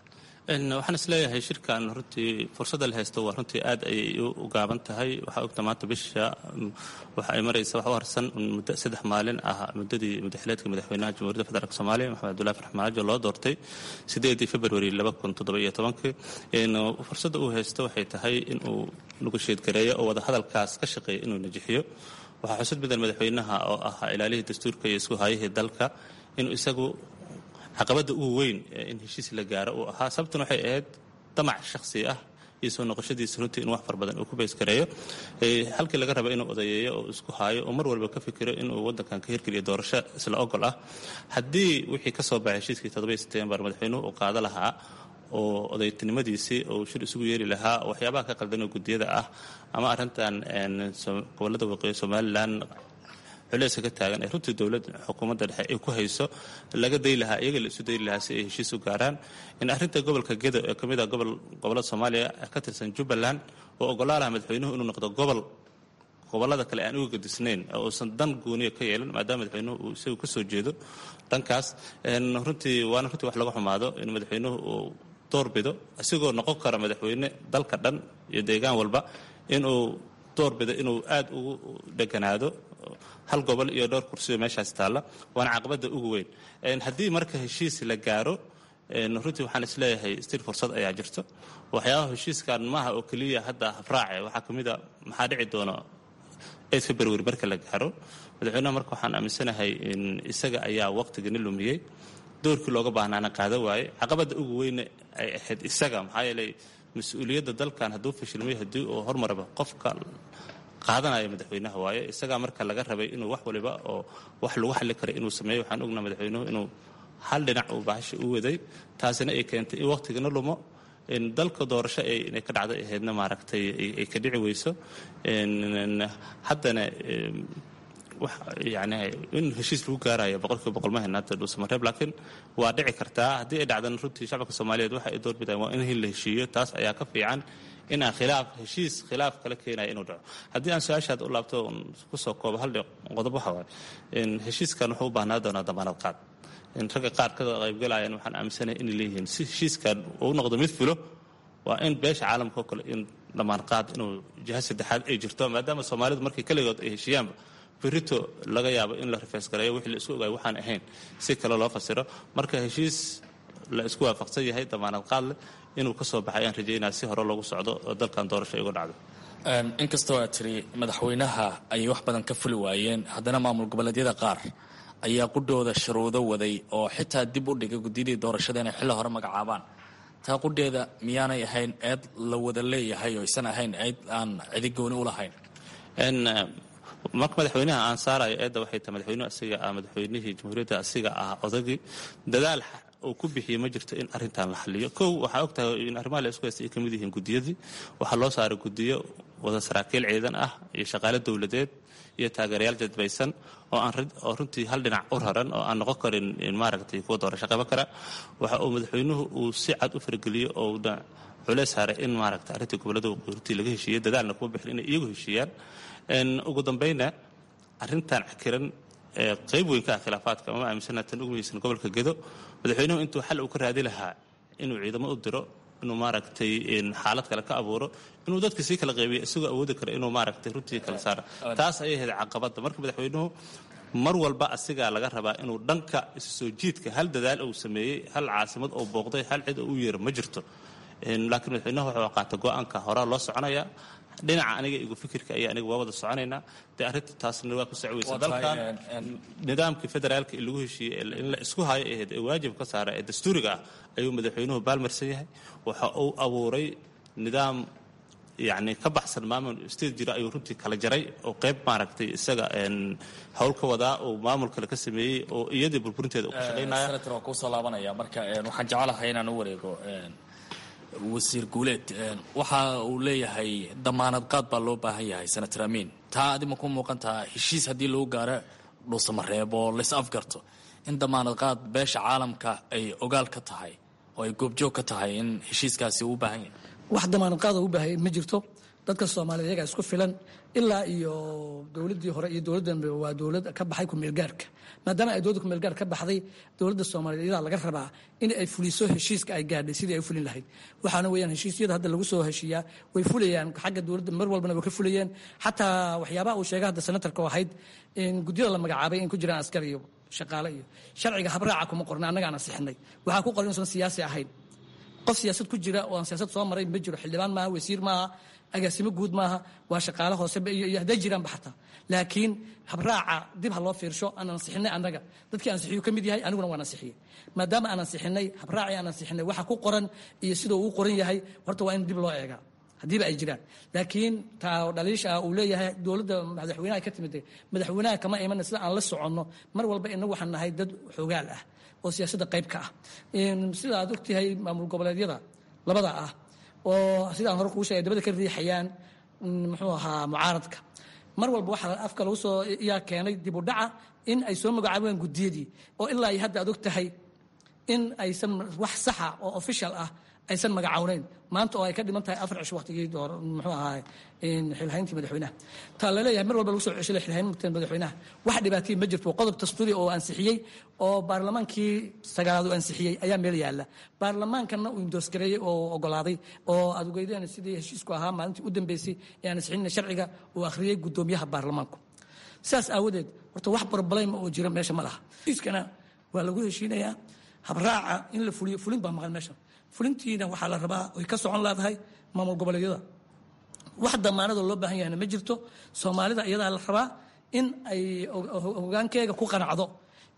Waxaan isleeyahay shirkan runtii fursadda la haysto waa runtii aad ayay u gaaban tahay. Waxaa ogta maanta bisha waxa ay maraysa wax u harsan muddo 3 maalin ah muddadii muddaxileedka madaxweynaha Jamhuuriyadda Federaalk Soomaaliya Maxamed Abdullahi Farx Maajo loo doortay 8-dii Februari 2017. Fursadda uu haysto waxay tahay inuu negotiate gareeyo oo wada hadalkaas ka shaqeeyo inuu najixiyo. Waxaa xusud mudan madaxweynaha oo ahaa ilaalihii dastuurka iyo isku haayihii dalka inuu isagu caqabadda ugu weyn in heshiis la gaaro uu ahaa. Sababtan waxay ahayd damac shakhsi ah iyo soo noqoshadiisa runtii in wax far badan uu ku baysgareeyo, halkii laga raba inuu odayeeyo oo isku haayo oo mar walba ka fikiro inuu waddankan ka hirgeliyo doorasho isla ogol ah. Haddii wixii ka soo baxay heshiiskii 7 Sebtembar madaxweynuhu uu qaado lahaa oo odaytinimadiisii uu shir isugu yeeri lahaa, waxyaabaha ka qaldan oo guddiyada ah ama arrintan gobollada waqooyi Somalilan culeyska ka taagan ee runtii dowladda xukuumadda dhexe ay ku hayso laga day lahaa, iyaga la isu dayi lahaa si ay heshiis u gaaraan. In arrinta gobolka Gedo ee ka mid ah gobollada Soomaaliya ka tirsan Jubbaland oo ogolaa lahaa madaxweynuhu inuu noqdo gobol gobollada kale aan uga gadisnayn oo uusan dan gooniya ka yeelan, maadaama madaxweynuhu uu isagu ka soo jeedo dhankaas. Runtii waana runtii wax laga xumaado in madaxweynuhu uu doorbido isagoo noqon kara madaxweyne dalka dhan iyo deegaan walba, inuu doorbido inuu aad ugu dheganaado hal gobol iyo dhowr kursiyo meeshaas taalla. Waana caqabadda ugu weyn. Haddii marka heshiis la gaaro, runtii waxaan isleeyahay stil fursad ayaa jirto. Waxyaabaha heshiiskan maaha oo keliya hadda habraace, waxaa ka mid a maxaa dhici doona 8 February marka la gaaro madaxweynaha. Marka waxaan aaminsanahay in isaga ayaa waqtigani lumiyey, doorkii looga baahnaana qaada waaye. Caqabadda ugu weyne ay ahayd isaga, maxaa yeelay mas-uuliyadda dalkan hadduu fashilmay, haddii uu hormaraba, qofka qaadanaya madaxweynaha waaye. Isagaa marka laga rabay inuu wax waliba oo wax lagu xalli kara inuu sameeyo. Waxaan ognaa madaxweynuhu inuu hal dhinac uu bahasha u waday, taasina ay keentay in waqtigana lumo, in dalka doorasho inay ka dhacday ahaydna maaragtay ay ka dhici weyso. Haddana yani in heshiis lagu gaarayo 100% ma hayna hadda Dhuusamareeb, laakiin waa dhici kartaa. Haddii ay dhacdana runtii shacabka Soomaaliyeed waxa ay doorbidaan waa in la heshiiyo. Taas ayaa ka fiican in aan khilaaf heshiis khilaaf kala keenaya inuu dhaco. Haddii aan su-aashaad u laabto kusoo koobo hal qodob, waxa waaye in heshiiskan wuxuu u baahnaa doonaa damaanad qaad. In ragga qaar ka qaybgalayaan waxaan aaminsanahay inay leeyihiin si heshiiskan uu noqdo mid fulo waa in beesha caalamka oo kale in damaanad qaad inuu jiha saddexaad ay jirto, maadaama Soomaalidu markii keligood ay heshiiyaanba berito laga yaabo in la rifeysgareeyo wixii la isku ogaay waxaan ahayn si kale loo fasiro. Marka heshiis la isku waafaqsan yahay damaanad qaad leh inuu ka soo baxay ayaan rajaynaya si hore loogu socdo oo dalkan doorasho igu dhacdo. Inkastoo aad tiri madaxweynaha ayay wax badan ka fuli waayeen, haddana maamul goboleedyada qaar ayaa qudhooda shuruudo waday oo xitaa dib u dhigay guddiyadii doorashada inay xilli hore magacaabaan. Taa qudheeda miyaanay ahayn eed la wada leeyahay oo aysan ahayn eed aan cidi gooni u lahayn? Marka madaxweynaha aan saarayo eedda waxay tahay madaxweynuhu asiga ah madaxweynihii jamhuuriyadda, asiga ah odagii. Dadaal uu ku bixiyey ma jirto in arrintan la xaliyo. Kow, waxaa og tahay in arrimaha la isku haystay ay ka mid yihiin guddiyadii. Waxaa loo saaray guddiyo wada saraakiil ciidan ah iyo shaqaale dowladeed iyo taageerayaal jadbaysan oo aan oo runtii hal dhinac u raran oo aan noqon karin maaragtay kuwa doorasho qaban kara. Waxa uu madaxweynuhu uu si cad u fargeliyo oo culeys saaray in maaragtay arrintii gobollada waqooyi runtii laga heshiiyey, dadaalna kuma bixin inay iyagu heshiiyaan. Ugu dambayna arrintan cakiran ee qayb weyn ka ah khilaafaadka ama aaminsana tan ugu muhiimsan gobolka Gedo, madaxweynuhu intuu xal uu ka raadi lahaa inuu ciidamo u diro, inuu maaragtay xaalad kale ka abuuro, inuu dadka sii kala qaybiyo isagoo awoodi kara inuu maaragtay runtii kala saara, taas ayay ahayd caqabadda. Marka madaxweynuhu mar walba asigaa laga rabaa inuu dhanka isu soo jiidka hal dadaal uu sameeyey, hal caasimad oo booqday, hal cid oo u yeero ma jirto. Laakiin madaxweynuhu wuxuu qaatay go-aanka horaa loo soconaya dhinaca aniga igu fikirka ayaa aniga waa wada soconaynaa. Dee arrinta taasna waa ku socweysa dalkan nidaamkii federaalka ee lagu heshiiyey in la isku hayo ahayd ee waajib ka saara ee dastuuriga ah ayuu madaxweynuhu baalmarsan yahay. Waxa uu abuuray nidaam yacni ka baxsan maamul state jira ayuu runtii kala jaray oo qayb maaragtay isaga hawl ka wadaa oo maamul kale ka sameeyey oo iyadii burburinteeda uu ka shaqaynaya. Senator, waan kuusoo laabanaya. Marka waxaan jecelahay inaan u wareego wasiir Guuleed. Waxa uu leeyahay damaanad qaad baa loo baahan yahay. Senator Amiin, taa adima ku muuqan taha heshiis haddii lagu gaaro Dhuusamareeb oo lays afgarto in damaanad qaad beesha caalamka ay ogaal ka tahay oo ay goobjoog ka tahay in heshiiskaasi uu u baahan yahay? Wax damaanad qaad oo u baahaya ma jirto. Dadka Soomaaliyed iyagaa isku filan. Ilaa iyo dowladdii hore iyo dowladdanba waa dowlad ka baxay kumeelgaarka. Maadaama ay dowladda kumeelgaar ka baxday, dowladda Soomaaliyeed iyadaa laga rabaa in ay fuliso heshiiska ay gaadhay sidii ay u fulin lahayd. Waxaana weeyaan heshiisyada hadda lagu soo heshiiyaa way fulayaan xagga dowladda, mar walbana way ka fulayeen. Xataa waxyaabaha uu sheegay hadda senatarka oo ahayd in guddiyada la magacaabay in ku jiraan askar iyo shaqaale iyo sharciga habraaca kuma qorna. Annagaan ansixinay waxaa ku qoran inuusan siyaasi ahayn. Qof siyaasad ku jira oo aan siyaasad soo maray ma jiro. Xildhibaan maaha, wasiir maaha, agaasimo guud maaha, waa shaqaale hoose iyo hadday jiraanba xataa. Laakiin habraaca dib ha loo fiirsho aan ansixinay annaga. Dadkii ansixiyu ka mid yahay, aniguna waan ansixiyey. Maadaama aan ansixinay habraacii aan ansixinay, waxa ku qoran iyo sida uu qoran yahay horta waa in dib loo eegaa haddiiba ay jiraan. Laakiin taa dhaliisha ah uu leeyahay dowladda madaxweynaha ka timid, madaxweynaha kama imana. Sida aan la soconno, mar walba inagu waxaan nahay dad xoogaal ah oo siyaasadda qayb ka ah. Sida aad ogtahay, maamul goboleedyada labada ah oo sidaan hore kuu sheegay dabada ka riixayaan muxuu ahaa mucaaradka, mar walba waxaa afka lagu soo yaa keenay dib u dhaca in ay soo magacaabeen guddiyadii oo ilaa iyo hadda aad og tahay in aysan wax saxa oo official ah aysan magacawnayn maanta oo ay ka dhiman tahay 4 cisho waqtigii door muxuu ahaa xilhayntii madaxweynaha. Taa laleeyahay mar walba lagu soo ceshay xilhaynta madaxweynaha, wax dhibaatay ma jirto. Qodob dastuuri oo ansixiyey oo baarlamaankii sagaalaad uu ansixiyey ayaa meel yaalla, baarlamaankana uu endorse gareeyey oo ogolaaday oo aad ogeydeen sidii heshiisku ahaa maalintii u dambeysay ee aan ansixin sharciga uu akhriyey guddoomiyaha baarlamaanku. Sidaas aawadeed horta wax problem oo jira meesha ma laha. Heshiiskana waa lagu heshiinayaa habraaca in la fuliyo. Fulin baa maqan meesha. Fulintiina waxaa la rabaa oy ka socon leedahay maamul goboleedyada. Wax damaanadoo loo baahan yahayna ma jirto. Soomaalida iyadaa la rabaa in ay hogaankeega ku qanacdo,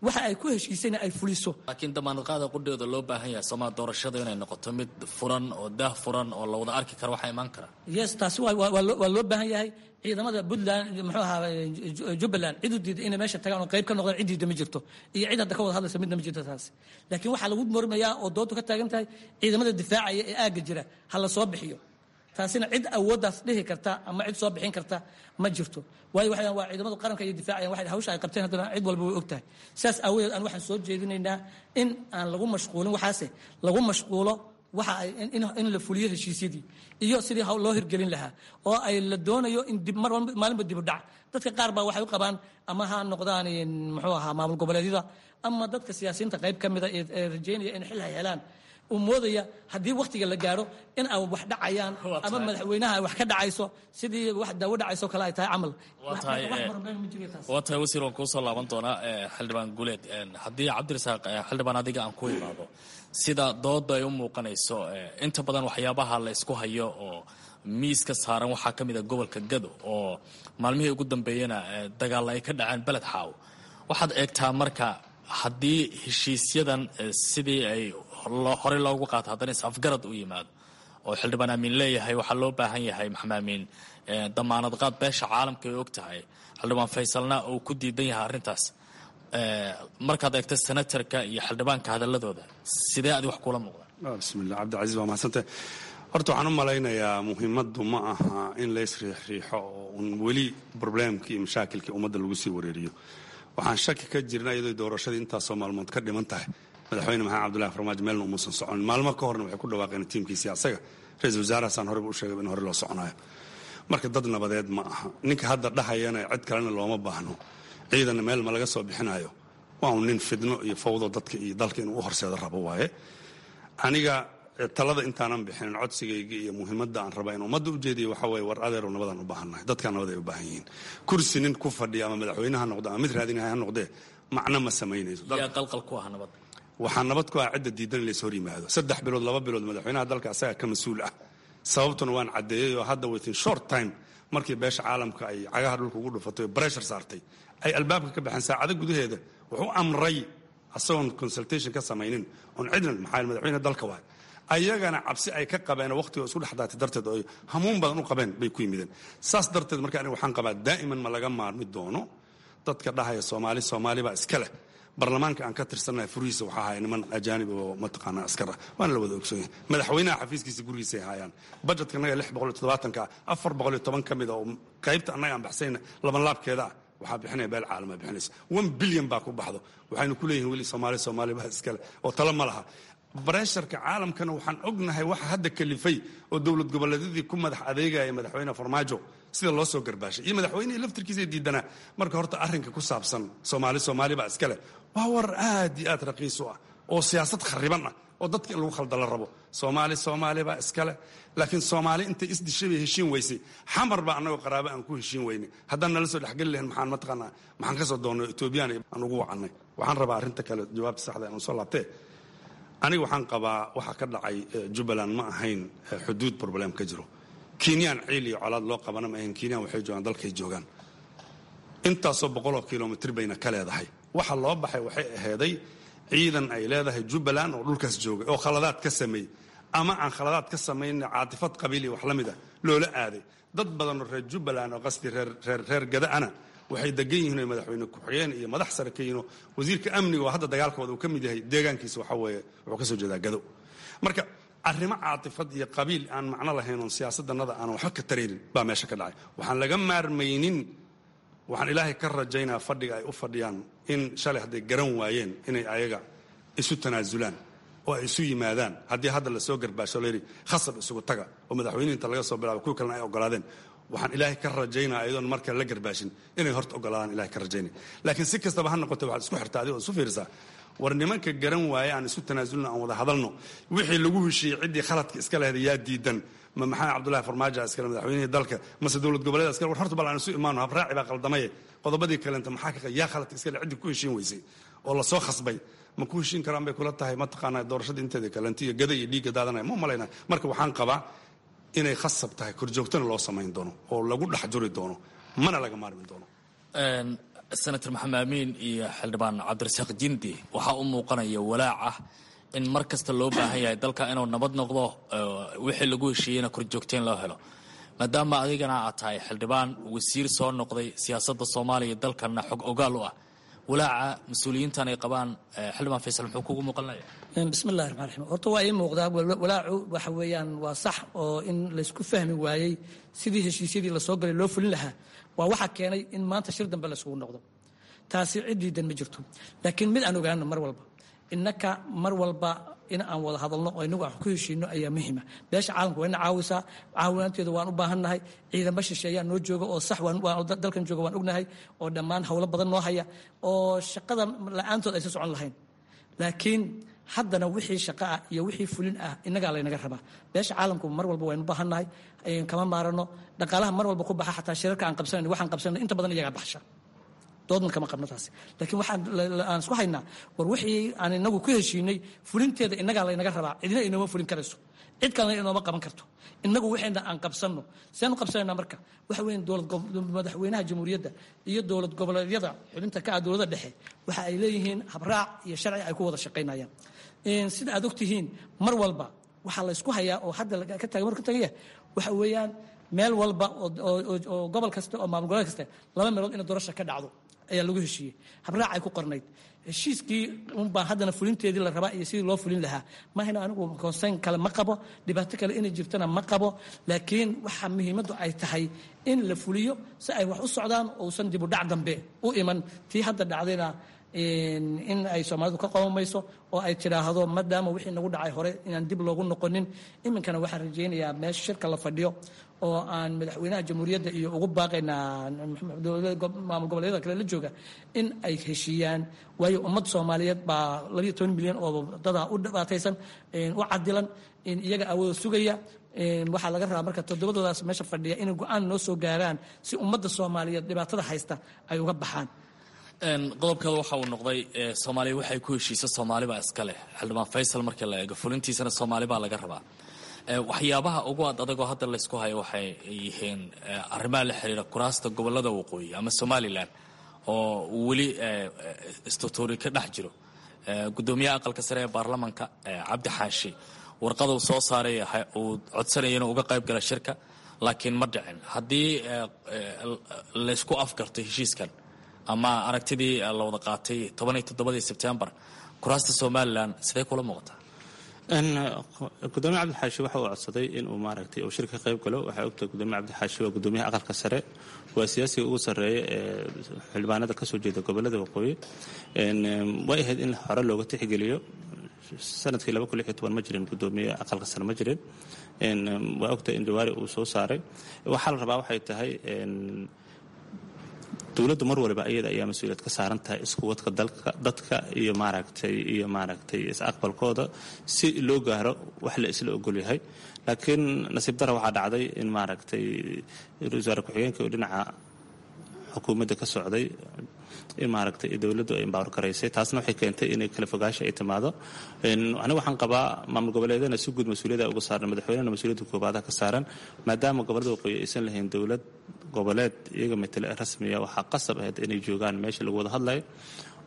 waxa ay ku heshiisayna ay fuliso. Laakiin damaanad qaada qudheeda loo baahan yahay sooma doorashada inay noqoto mid furan oo daah furan oo la wada arki karo waxaa imaan kara? Yes, taasi waa loo baahan yahay. Ciidamada Puntland, muxuu ahaa, Jubbaland, cid u diida inay meesha tagaan oo qayb ka noqdaan, cid diida ma jirto iyo cid hadda ka wada hadlaysa midna ma jirto taasi. Laakiin waxaa lagu mormayaa oo doodu ka taagan tahay ciidamada difaacaya ee aagga jira ha la soo bixiyo. Taasina cid awooddaas dhihi karta ama cid soo bixin karta ma jirto, waayo waxay waa ciidamada qaranka iyo difaacayaan. Waxay hawsha ay qabteen haddana cid walba way og tahay. Sidaas aawadeed aan waxaan soo jeedinaynaa in aan lagu mashquulin waxaase, lagu mashquulo waxa ay in la fuliyo heshiisyadii iyo sidii loo hirgelin lahaa oo ay la doonayo in dib mar maalinba dib u dhac. Dadka qaar baa waxay u qabaan, ama ha noqdaan muxuu ahaa maamul goboleedyada ama dadka siyaasiyiinta qayb ka mida ee rajaynaya in xil ay helaan, uu moodaya haddii waktiga la gaaro in ay wax dhacayaan ama madaxweynaha ay wax ka dhacayso, sidii wax daawo dhacayso kale ay tahay camal. Waa tahay wasiir, waan kuusoo laaban doonaa. Xildhibaan Guuleed, haddii Cabdirasaaq, xildhibaan adiga aan ku imaado, sida dooda ay u muuqanayso, inta badan waxyaabaha la isku hayo oo miiska saaran waxaa ka mid a gobolka Gado oo maalmihii ugu dambeeyena dagaalla ay ka dhaceen Beled Xaaw. Waxaad eegtaa marka haddii heshiisyadan sidii ay horey loogu qaato haddana is-afgarad u yimaado oo xildhibaan Amiin leeyahay waxaa loo baahan yahay, Maxamed Amiin, damaanad qaad beesha caalamka ay og tahay, xildhibaan Faysalna uu ku diidan yahay arrintaas, markaad eegto senatarka iyo xildhibaanka hadalladooda, sidee adi wax kula muuqda? Bismillah, Cabdicasiis, waa mahadsantah. Horta waxaan u malaynayaa muhiimaddu ma aha in lays riixriixo oo un weli problemkii iyo mashaakilkii ummadda lagu sii wareeriyo. Waxaan shaki ka jirna iyadoo doorashadii intaasoo maalmood ka dhiman tahay, madaxweyne Maxamed Cabdullahi Farmaajo meelna umuusan soconin. Maalmo ka horna waxay ku dhawaaqeen tiimkiisii asaga ra-iisul wasaarahaasaan horeba u sheegay in hore loo soconayo. Marka dad nabadeed ma aha ninka hadda dhahayana cid kalena looma baahno, ciidanna meel ma laga soo bixinayo. Waa un nin fidno iyo fawdo dadka iyo dalka inuu u horseedo rabo waaye. Aniga talada intaanan bixinin, codsigayga iyo muhiimadda aan rabaa in ummadda u jeediyo waxaa waye: war adeerow, nabadaan u baahannahay, dadkaan nabad ay u baahan yihiin. Kursi nin ku fadhiya ama madaxweyne ha noqdo ama mid raadinahay ha noqdee, macno ma samaynayso. Yaa qalqal ku ah nabadda? Waxaa nabad ku ah cidda diidan in lays hor yimaado. 3 bilood, 2 bilood madaxweynaha dalka asagaa ka mas-uul ah. Sababtuna waan caddeeyey oo hadda within short time markii beesha caalamka ay cagaha dhulka ugu dhufatay oo pressure saartay, ay albaabka ka baxeen, saacado gudaheeda wuxuu amray asagoon consultation ka samaynin oon cidna, maxaa madaxweyne dalka waay, Ayagana cabsi ay ka qabeen waqtiga isku dhex daatay darteed oo ay hamuun badan u qabeen bay ku yimideen. Saas darteed marka aniga waxaan qabaa daa'iman ma laga maarmi doono dadka dhahaya Soomaali Soomaali baa iska leh. Baarlamaanka aan ka tirsannahay furihiisa waxaa haya niman ajaanib oo mataqaanaa askar ah, waana la wada ogsoon yahay. Madaxweynaha xafiiskiisa gurigiisa ay haayaan. Budgetka annaga 670-ka ah, 410 ka mid ah oo qaybta annaga aan baxsayna labanlaabkeeda ah waxaa bixinaya beel caalama bixinaysa. 1 bilyan baa ku baxdo. Waxaynu ku leeyihin weli Soomaali Soomaali baa iskale oo talo ma laha. Pressure-ka caalamkana waxaan ognahay waxa hadda kalifay oo dowlad goboleedyadii ku madax adeegaya madaxweyne Farmaajo sida loo soo garbaashay iyo madaxweynihii laftirkiisa diidanaa. Marka horta arrinka ku saabsan Soomaali Soomaali baa iskale waa war aad iyo aad raqiis u ah oo siyaasad khariban ah oo dadka in lagu khalda la rabo. Soomaali Soomaali baa iskale, laakiin Soomaali intay isdishay bay heshiin weysay. Xamar baa annagoo qaraabo aan ku heshiin weynay. Haddaan nala soo dhexgeli lahayn, maxaan mataqaanaa, maxaan ka soo doonnay Etoobiyaan aan ugu wacannay? Waxaan rabaa arrinta kale jawaabta saxda aan soo laabtee. Aniga waxaan qabaa waxa ka dhacay Jubbaland ma ahayn xuduud problem ka jiro. Kenyaan ciil iyo colaad loo qabana ma ahayn. Kenyaan waxay joogaan dalkay joogaan, intaasoo boqoloo kilomitr bayna ka leedahay. Waxa loo baxay waxay aheeday ciidan ay leedahay Jubbaland oo dhulkaas joogay oo khaladaad ka sameeyey ama aan khaladaad ka samayn, caatifad qabiil iyo wax la mid ah loola aaday. Dad badan oo reer Jubbaland oo qasdi reer Gada-ana waxay degan yihiin oo madaxweyne ku-xigeen iyo madax sare ka yihiin oo wasiirka amniga oo hadda dagaalkooda uu ka mid yahay deegaankiisa waxa weeye wuxuu ka soo jeedaa Gado. Marka arrimo caatifad iyo qabiil aan macno lahayn oon siyaasadannada aanan waxba ka taraynin baa meesha ka dhacay. Waxaan laga maarmaynin, waxaan Ilaahay ka rajaynaa fadhiga ay u fadhiyaan in shalay hadday garan waayeen inay ayaga isu tanaasulaan oo ay isu yimaadaan. Haddii hadda lasoo garbaasho layidhi khasab isugu taga oo madaxweynihi inta laga soo bilaabo kuwi kalena ay ogolaadeen, waxaan Ilaahay ka rajaynaa ayadoon marka la garbaashin inay horta ogolaadaan Ilahay ka rajaynay. Laakiin si kastaba ha noqote, waxaad isku xirtaa adigoo isu fiirisaa, war nimanka garan waaye aan isu tanaasulno, aan wada hadalno. Wixii lagu heshiiyey ciddii khaladka iska lahayd yaa diidan? Ma Maxamed Cabdullahi Farmaajo iskale, madaxweynihii dalka, mase dowlad goboleed iskale? War horta bal aan isu imaano, habraaci baa qaldamaye, qodobadii kalenta maxaa ka yaa khaladka iskale? Ciddii ku heshiin weysay oo lasoo khasbay ma ku heshiin karaan bay kula tahay mataqaanaa doorashada inteeda kalenta iyo gada iyo dhiigga daadanaya? Ma malaynaa. Marka waxaan qabaa inay khasab tahay, korjoogtana loo samayn doono oo lagu dhex juri doono, mana laga maarmi doono. Senator Maxamed Amiin iyo xildhibaan Cabdirasaaq Jindi, waxaa u muuqanaya walaac ah in mar kasta loo baahan yahay dalka inuu nabad noqdo, wixii lagu heshiiyeyna korjoogteyn loo helo. Maadaama adigana aad tahay xildhibaan wasiir soo noqday, siyaasadda Soomaaliya dalkana xog ogaal u ah, walaaca mas-uuliyiintan ay qabaan, xildhibaan Faysal, muxuu kugu muuqanaya? Bismillahi raxmaan raxiim. Horta waa ii muuqdaa walaacu. Waxa weeyaan waa sax oo in laysku fahmi waayey sidii heshiisyadii lasoo galay loo fulin lahaa waa waxa keenay in maanta shir dambe laysugu noqdo. Taasi cid diidan ma jirto, laakiin mid aan ogaano, mar walba innaka mar walba in aan wada hadalno oo inagu aan ku heshiino ayaa muhiima. Beesha caalamka waa ina caawisaa, caawinaanteeda waan u baahannahay. Ciidamo shisheeyaa noo jooga oo sax dalkan jooga waan ognahay oo dhammaan howlo badan noo haya oo shaqada la-aantood aysan socon lahayn, laakiin haddana wixii shaqo ah iyo wixii fulin ah innagaa laynaga rabaa. Beesha caalamku mar walba waynu baahannahay, kama maarano. Dhaqaalaha mar walba ku baxa xataa shirarka aan qabsanayno, waxaan qabsanayno inta badan iyagaa baxsha, doodna kama qabno taasi. Laakiin waxaan aan isku haynaa, war wixii aan inagu ku heshiinay fulinteeda innagaa laynaga rabaa. Cidina inooma fulin karayso, cid kalena inooma qaban karto. Innagu waxayna aan qabsanno. Seenu qabsanayna marka waxa weyn dowlad madaxweynaha jamhuuriyadda iyo dowlad goboleedyada xubinta ka ah dowladda dhexe waxa ay leeyihiin habraac iyo sharci ay ku wada shaqaynayaan. Sida aad ogtihiin, mar walba waxaa la isku hayaa oo hadda ka taagan marka tagaya waxa weeyaan meel walba oo gobol kasta oo maamul goboleed kasta laba meelood in doorasha ka dhacdo ayaa lagu heshiiyey, habraac ay ku qornayd. Heshiiskii unbaa haddana fulinteedii la rabaa iyo sidii loo fulin lahaa. Mahayna anigu concern kale ma qabo, dhibaato kale inay jirtana ma qabo, laakiin waxa muhiimaddu ay tahay in la fuliyo si ay wax u socdaan ousan dib u dhac dambe u iman. Tii hadda dhacdayna in ay Soomaalidu ka qomamayso oo ay tidhaahdo maadaama wixii nagu dhacay hore inaan dib loogu noqonin. Iminkana waxaan rajaynayaa meesha shirka la fadhiyo oo aan madaxweynaha jamhuuriyadda iyo ugu baaqaynaa maamul goboleedyada kale la jooga in ay heshiiyaan, waayo ummad Soomaaliyeed baa 12 milyan oo dadaa u dhibaataysan, u cadilan, iyaga awooda sugaya. Waxaa laga rabaa marka toddobadoodaas meesha fadhiya inay go-aan noo soo gaaraan si ummadda Soomaaliyeed dhibaatada haysta ay uga baxaan. Qodobkeeda waxa uu noqday Soomaaliya waxay ku heshiisa Soomaali baa iska leh. Xildhibaan Faysal, markii la eego fulintiisana Soomaali baa laga rabaa. Waxyaabaha ugu ad adagoo hadda laysku hayo waxay yihiin arrimaha la xiriira kuraasta gobolada waqooyi ama Somaliland oo weli istutuuri ka dhex jiro. Guddoomiyaha aqalka sare ee baarlamanka, Cabdi Xaashi, Warqaduu soo saaray uu codsanaya inuu uga qayb gala shirka, laakiin ma dhicin. Haddii laysku afgarto heshiiskan ama aragtidii la wada qaatay 17-dii Sebtembar, kuraasta Somalilan sidee kula muuqataa? Gudoomiye Cabdixaashi waxa uu codsaday inuu maaragtay uu shirka ka qayb galo. Waxaa ogtahay Gudoomiye Cabdixaashi waa gudoomiyaha aqalka sare, waa siyaasiga ugu sarreeya ee xildhibaanada kasoo jeeda gobolada waqooyi. Way ahayd in hore looga tixgeliyo. Sanadkii 2016 ma jirin gudoomiye aqalka sare, ma jirin. Waa ogtahay in Jawaari uu soo saaray. Waxaa la rabaa waxay tahay, dowladdu mar waliba iyada ayaa mas-uuliyad ka saaran tahay iskuwadka dalka, dadka iyo maaragtay is-aqbalkooda si loo gaaro wax la isla ogol yahay. Laakiin nasiib dara waxaa dhacday in maaragtay wasaare ku-xigeenka oo dhinaca xukuumadda ka socday in maaragtay dowladdu ay empower garaysay. Taasna waxay keentay inay kala fogaasha ay timaado. Aniga waxaan qabaa maamul goboleedana si guud mas-uuliyadda uga saaran, madaxweynena mas-uuliyadda koobaadaha ka saaran. Maadaama gobolada waqooyi aysan lahayn dowlad goboleed iyaga matale rasmiya, waxaa qasab ahayd inay joogaan meesha lagu wada hadlayo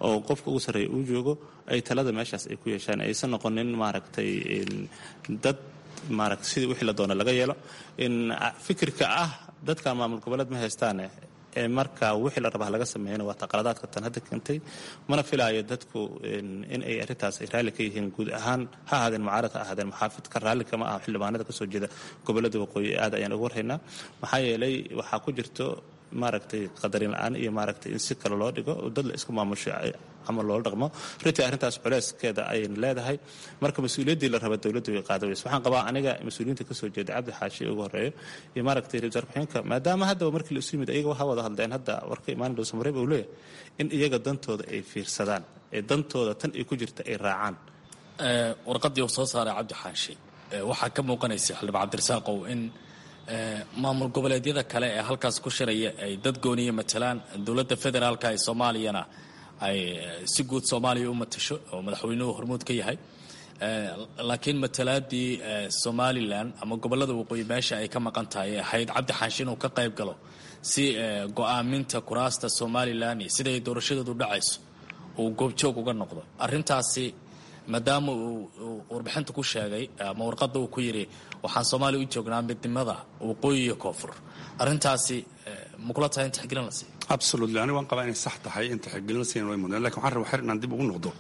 oo qofka ugu sarreeya uu joogo, ay talada meeshaas ay ku yeeshaan, aysan noqonin maaragtay dad maaragtay sidii wixii la doono laga yeelo. In fikirka ah dadka maamul goboleed ma haystaane ee marka wixii la rabaa laga sameeyana waa taqaladaadka tan hadda keentay. Mana filaayo dadku in ay arrintaas ay raalli ka yihiin guud ahaan, ha ahaadeen mucaarad, ha ahaadeen muxaafid, ka raalli kama aha xildhibaanada kasoo jeeda gobolada waqooyi. Aad ayaan ugu warhaynaa, maxaa yeelay waxaa ku jirto maaragtay qadarin la-aan iyo maaragtay in si kale loo dhigo oo dad la isku maamusho camal loola dhaqmo. Runtii arrintaas culeyskeeda ayayna leedahay. Marka mas-uuliyaddii la raba dowladdu way qaada weyse. Waxaan qabaa aniga mas-uuliyiinta kasoo jeeda, Cabdi Xaashi ugu horeeyo iyo maaragtay ra-iisul wasaare ku-xigeenka, maadaama haddaba markii la isu yimid iyaga waxaa wada hadleen, hadda warka imaan Dhuusamareeb uu leeyahay, in iyaga dantooda ay fiirsadaan ee dantooda tan ay ku jirta ay raacaan. Warqaddii uu soo saaray Cabdi Xaashi waxaa ka muuqanaysa, xildhibaan Cabdirasaaqow, in maamul goboleedyada kale ee halkaas ku shiraya ay dad gooniya matalaan, dowladda federaalka ee Soomaaliyana ay si guud Soomaaliya u matasho oo madaxweynuhu hormuud ka yahay, laakiin matalaadii Somalilan ama gobolada waqooyi meesha ay ka maqan tahay ahayd Cabdi Xaashi inuu ka qayb galo si go-aaminta kuraasta Somalilan iyo siday doorashadeedu dhacayso uu goobjoog uga noqdo arrintaasi, maadaama uu warbixinta ku sheegay ama warqadda uu ku yidhi waxaan Soomaaliya u joognaa midnimada waqooyi iyo koonfur. Arrintaasi ma kula tahay in tixgelin la siiyo? Absolutely, aniga waan qabaa inay sax tahay in tixgelin la siiyan way mudnaan. Lakin waxaan rabaa xer inaan dib ugu noqdo.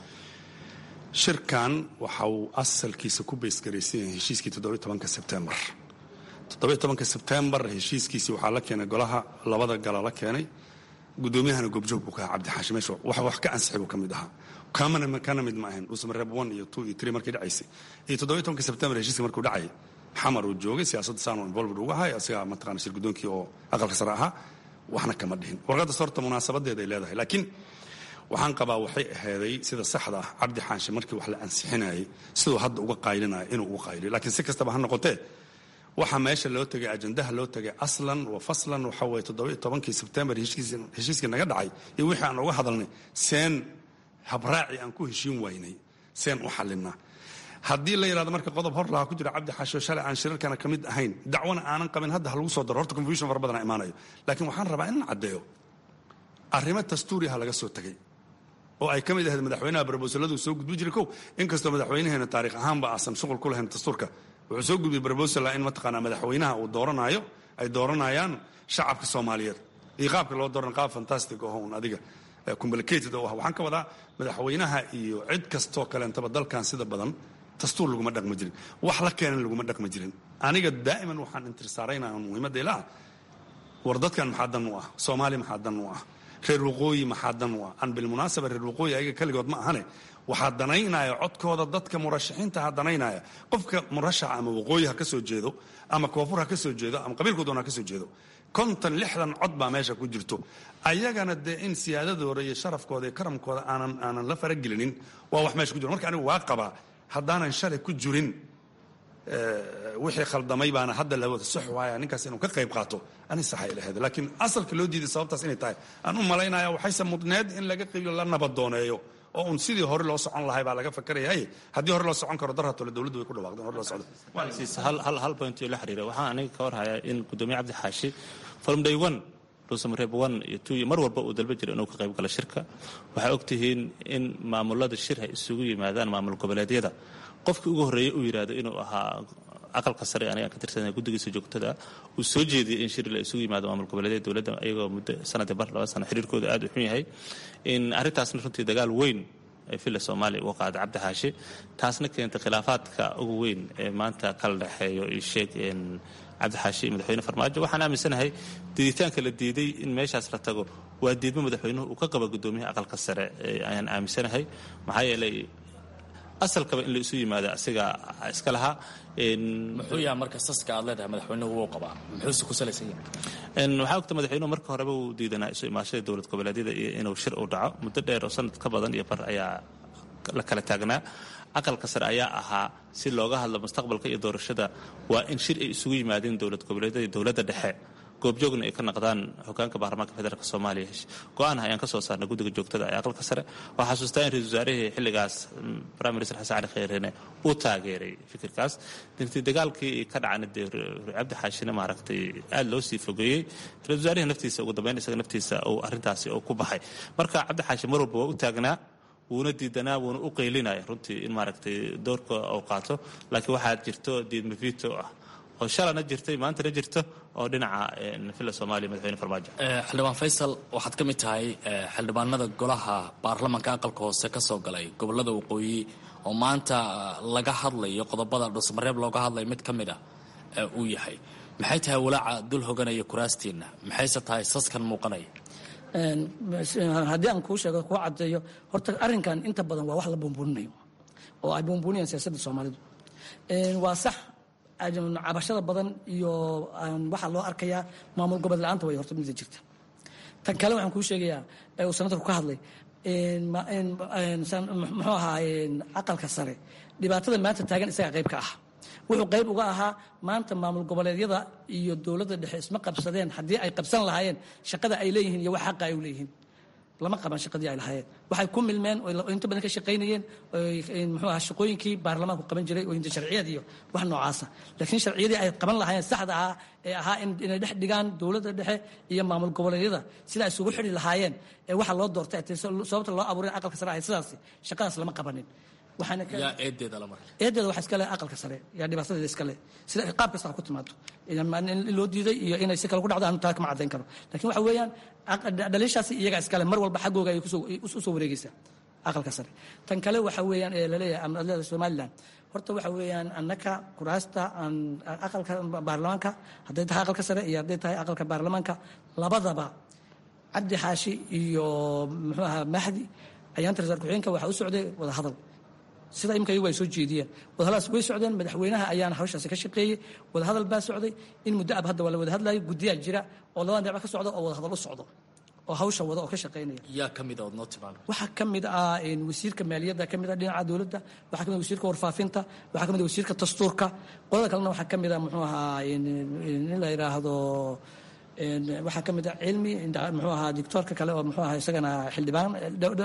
Shirkan waxa uu asalkiisa ku base garaysan yahay heshiiskii 17-ka Sebtembar. 17-ka Sebtembar heshiiskiisii waxaa la keenay golaha labada gala la keenay, guddoomiyahana goobjoog buu ka ahaa Cabdixaashi. Meesha wax wax ka ansixay buu ka mid ahaa, kamana kana mid ma ahayn. Dhuusamareeb 1 iyo 2 iyo 3 markii dhacaysay iyo 17-ka Sebtembar heshiiska markuu dhacay, Xamar uu joogay, siyaasadda saan involved uga ahay, asigaa mataqana shir guddoonkii oo aqalka sare ahaa, waxna kama dhihin. Warqadda horta munaasabadeeda ay leedahay, laakiin waxaan qabaa waxay aheeday sida saxda ah Cabdi Xaashi markii wax la ansixinayay siduu hadda uga qaylinayo inuu uga qayliyo. Laakiin si kastaba ha noqotee, waxa meesha loo tegay, ajandaha loo tegay aslan wa faslan, waxa waye 17-kii Sebtembar heshiiskii naga dhacay iyo wixii aan uga hadalnay, seen habraaci aan ku heshiin waynay seen u xalinaa. Haddii la yidhahdo marka qodob hor lahaa ku jira, Cabdi Xaasho shalay aan shirarkana ka mid ahayn, dacwana aanan qabin, hadda ha lagu soo daro, horta confusion fara badan imaanayo. Laakiin waxaan rabaa inaan caddeeyo arrimo dastuuriha laga soo tegay oo ay ka mid ahayd madaxweynaha proposaladu soo gudbi jiray kow. Inkastoo madaxweynaheena taariikh ahaanba aasan shuqul ku lahayn dastuurka, wuxuu soo gudbiyey proposal in mataqaanaa madaxweynaha uu dooranayo ay dooranayaan shacabka Soomaaliyeed iyo qaabka loo dooran, qaab fantastic oo un adiga complicated oo ah. Waxaan ka wadaa madaxweynaha iyo cid kastoo kaleentaba dalkan sida badan dastuur laguma dhaqmi jirin, wax la keenan laguma dhaqmi jirin. Aniga daa'iman waxaan intirsaaraynaa muhiimadda ilaa war dadkan maxaa dan u ah, Soomaali maxaa dan u ah, reer waqooyi maxaa dan u ah. Aan bilmunaasaba reer waqooyi ayaga keligood ma ahane, waxaa danaynaya codkooda dadka murashaxiinta ha danaynaya. Qofka murashaxa ama waqooyi ha ka soo jeedo ama koonfur ha ka soo jeedo ama qabiilku doona ha ka soo jeedo, 50 60 cod baa meesha ku jirto. Ayagana dee in siyaadadooda iyo sharafkooda iyo karamkooda aanan la faragelinin waa wax meesha ku jiro. Marka anigu waa qabaa haddaanan shalay ku jirin wixii khaldamay baana hadda la wada sax waaya ninkaas inuu ka qayb qaato, ani saxay lahayd. Laakiin asalka loo diiday sababtaas inay tahay aan u malaynaya. Waxayse mudneed in laga qaybiyo, la nabadooneeyo oo un sidii hore loo socon lahay baa laga fakarayay. Haddii hore loo socon karo, darhatole dowladdu way ku dhawaaqdeen hore loo socdo. Hal point oo la xiriira, waxaan aniga ka warhayaa in gudoomiye Cabdi Xaashi from day one Dhuusamareeb 1 iyo 2 iyo mar walba uu dalba jiray inuu ka qayb galo shirka. Waxaa ogtihiin in maamulada shir ay isugu yimaadaan maamul goboleedyada, qofkii ugu horreeyey uu yidhaahdo inuu ahaa aqalka sare aniga ka tirsan guddigiisa joogtada, uu soo jeediyey in shir la isugu yimaado maamul goboleedyada dowladda, iyagoo muddo sanadii bar 2 sano xiriirkooda aad u xun yahay. In arrintaasna runtii dagaal weyn ay Villa Soomaaliya uga qaada Cabdi Xaashi, taasna keentay khilaafaadka ugu weyn ee maanta kala dhexeeyo iyo sheeg Cabdi Xaashi iyo madaxweyne Farmaajo. Waxaan aaminsanahay diiditaanka la diiday in meeshaas la tago waa diidmo madaxweynuhu uu ka qaba guddoomiyaha aqalka sare ayaan aaminsanahay, maxaa yeelay asalkaba in la isu yimaado asiga iska lahaa. Muxuu yahay marka saska aad leedahay madaxweynuhu wuu qabaa, muxuuse ku salaysan yahay? Waxaa ogta madaxweynuhu marka horeba uu diidanaa isu imaashada dowlad goboleedyada iyo inuu shir u dhaco. Muddo dheer oo sanad ka badan iyo bar ayaa la kala taagnaa. Aqalka sare ayaa ahaa si looga hadlo mustaqbalka iyo doorashada waa in shir ay isugu yimaadeen dowlad goboleedyada iyo dowladda dhexe, goobjoogna ay ka naqdaan hogaanka baarlamaanka federaalk Soomaaliya. Go-aan ayaan ka soo saarnay guddiga joogtada ee aqalka sare. Waxaa xasuustaa in ra-isul wasaarihii xilligaas, Prime Minister Xasan Cali Kheyreene, uu taageeray fikirkaas. Dintii dagaalkii ka dhacana dee Cabdi Xaashina maaragtay aada loo sii fogeeyey, ra-isul wasaarihii naftiisa ugu dambeyn isaga naftiisa uu arrintaasi uu ku baxay. Marka Cabdi Xaashi mar walba waa u taagnaa, wuuna diidanaa, wuuna u qaylinaya runtii in maaragtay doorka uu qaato, laakiin waxaa jirto diidma vito ah oo shalana jirtay, maantana jirto, oo dhinaca Villa Soomaaliya madaxweyne Farmaajo. Xildhibaan Faysal, waxaad ka mid tahay xildhibaanada golaha baarlamanka aqalka hoose ka soo galay gobolada waqooyi oo maanta laga hadlayo qodobada Dhuusamareeb looga hadlayo mid ka mid ah uu yahay. Maxay tahay walaaca dul hoganaya kuraastiinna, maxayse tahay saskan muuqanaya? Haddii aan kuu sheego, kuu caddeeyo, horta arrinkan inta badan waa wax la buunbuuninayo oo ay buunbuuniyaan siyaasadda Soomaalidu. Waa sax cabashada badan iyo waxaa loo arkayaa maamul gobol la-aanta way horta mida jirta. Tan kale waxaan kuu sheegayaa ee uu senatarku ka hadlay, muxuu ahaa, aqalka sare dhibaatada maanta taagan isagaa qayb ka ah. Wuxuu qayb uga ahaa maanta maamul goboleedyada iyo dowladda dhexe isma qabsadeen haddii ay qabsan lahaayeen shaqada ay leeyihiin iyo wax xaqa ay u leeyihiin. Lama qaban shaqadii ay lahaayeen, waxay ku milmeen oo inta badan ka shaqaynayeen muxuu ahaa shaqooyinkii baarlamaanku qaban jiray oo inta sharciyad iyo wax noocaasa, laakiin sharciyadii ay qaban lahaayeen saxda ahaa ee ahaa inay dhex dhigaan dowladda dhexe iyo maamul goboleedyada sida ay isugu xidhi lahaayeen ee waxa loo doortay, sababta loo abuuray aqalka sare ahayd sidaasi, shaqadaas lama qabanin. Yaa eedeeda la marka? Eedeeda waxaa iska leh aqalka sare, yaa dhibaatadeeda iska leh, sida qaab kasta ha ku timaado in loo diiday iyo inay si kale ku dhacdo anu taa kama caddayn karo, lakin waxa weeyaan dhaliishaasi iyagaa iska leh, mar walba xaggooga ayay u soo wareegaysaa aqalka sare. Tan kale waxa weeyaan ee laleeyahay ama aad leedahay Somaliland, horta waxa weeyaan annaka kuraasta aan aqalka baarlamaanka, hadday tahay aqalka sare iyo hadday tahay aqalka baarlamaanka labadaba, Cabdi Xaashi iyo muxuu ahaa Mahdi ayaanta ra-isul ku-xigeenka waxaa u socday wada hadal sida imika iyagu ay soo jeediyeen. Wadahadalaas way socdeen, madaxweynaha ayaana hawshaasi ka shaqeeyey. Wadahadal baa socday in muddo ab, hadda waa la wada hadlayo. Guddiyaa jira oo labada dhinac ka socda oo wadahadal u socdo oo hawsha wada oo ka shaqeynaya. Yaa ka mid a ood noo tilmaamay? Waxaa ka mid ah wasiirka maaliyadda ka mid ah dhinaca dowladda, waxaa ka mid ah wasiirka warfaafinta, waxaa ka mid ah wasiirka dastuurka. Qolada kalena waxaa ka mid ah muxuu ahaa in la yidhaahdo, waxaa ka mid ah Cilmi, muxuu ahaa dictoorka kale oo muxuu ahaa isagana xildhibaan,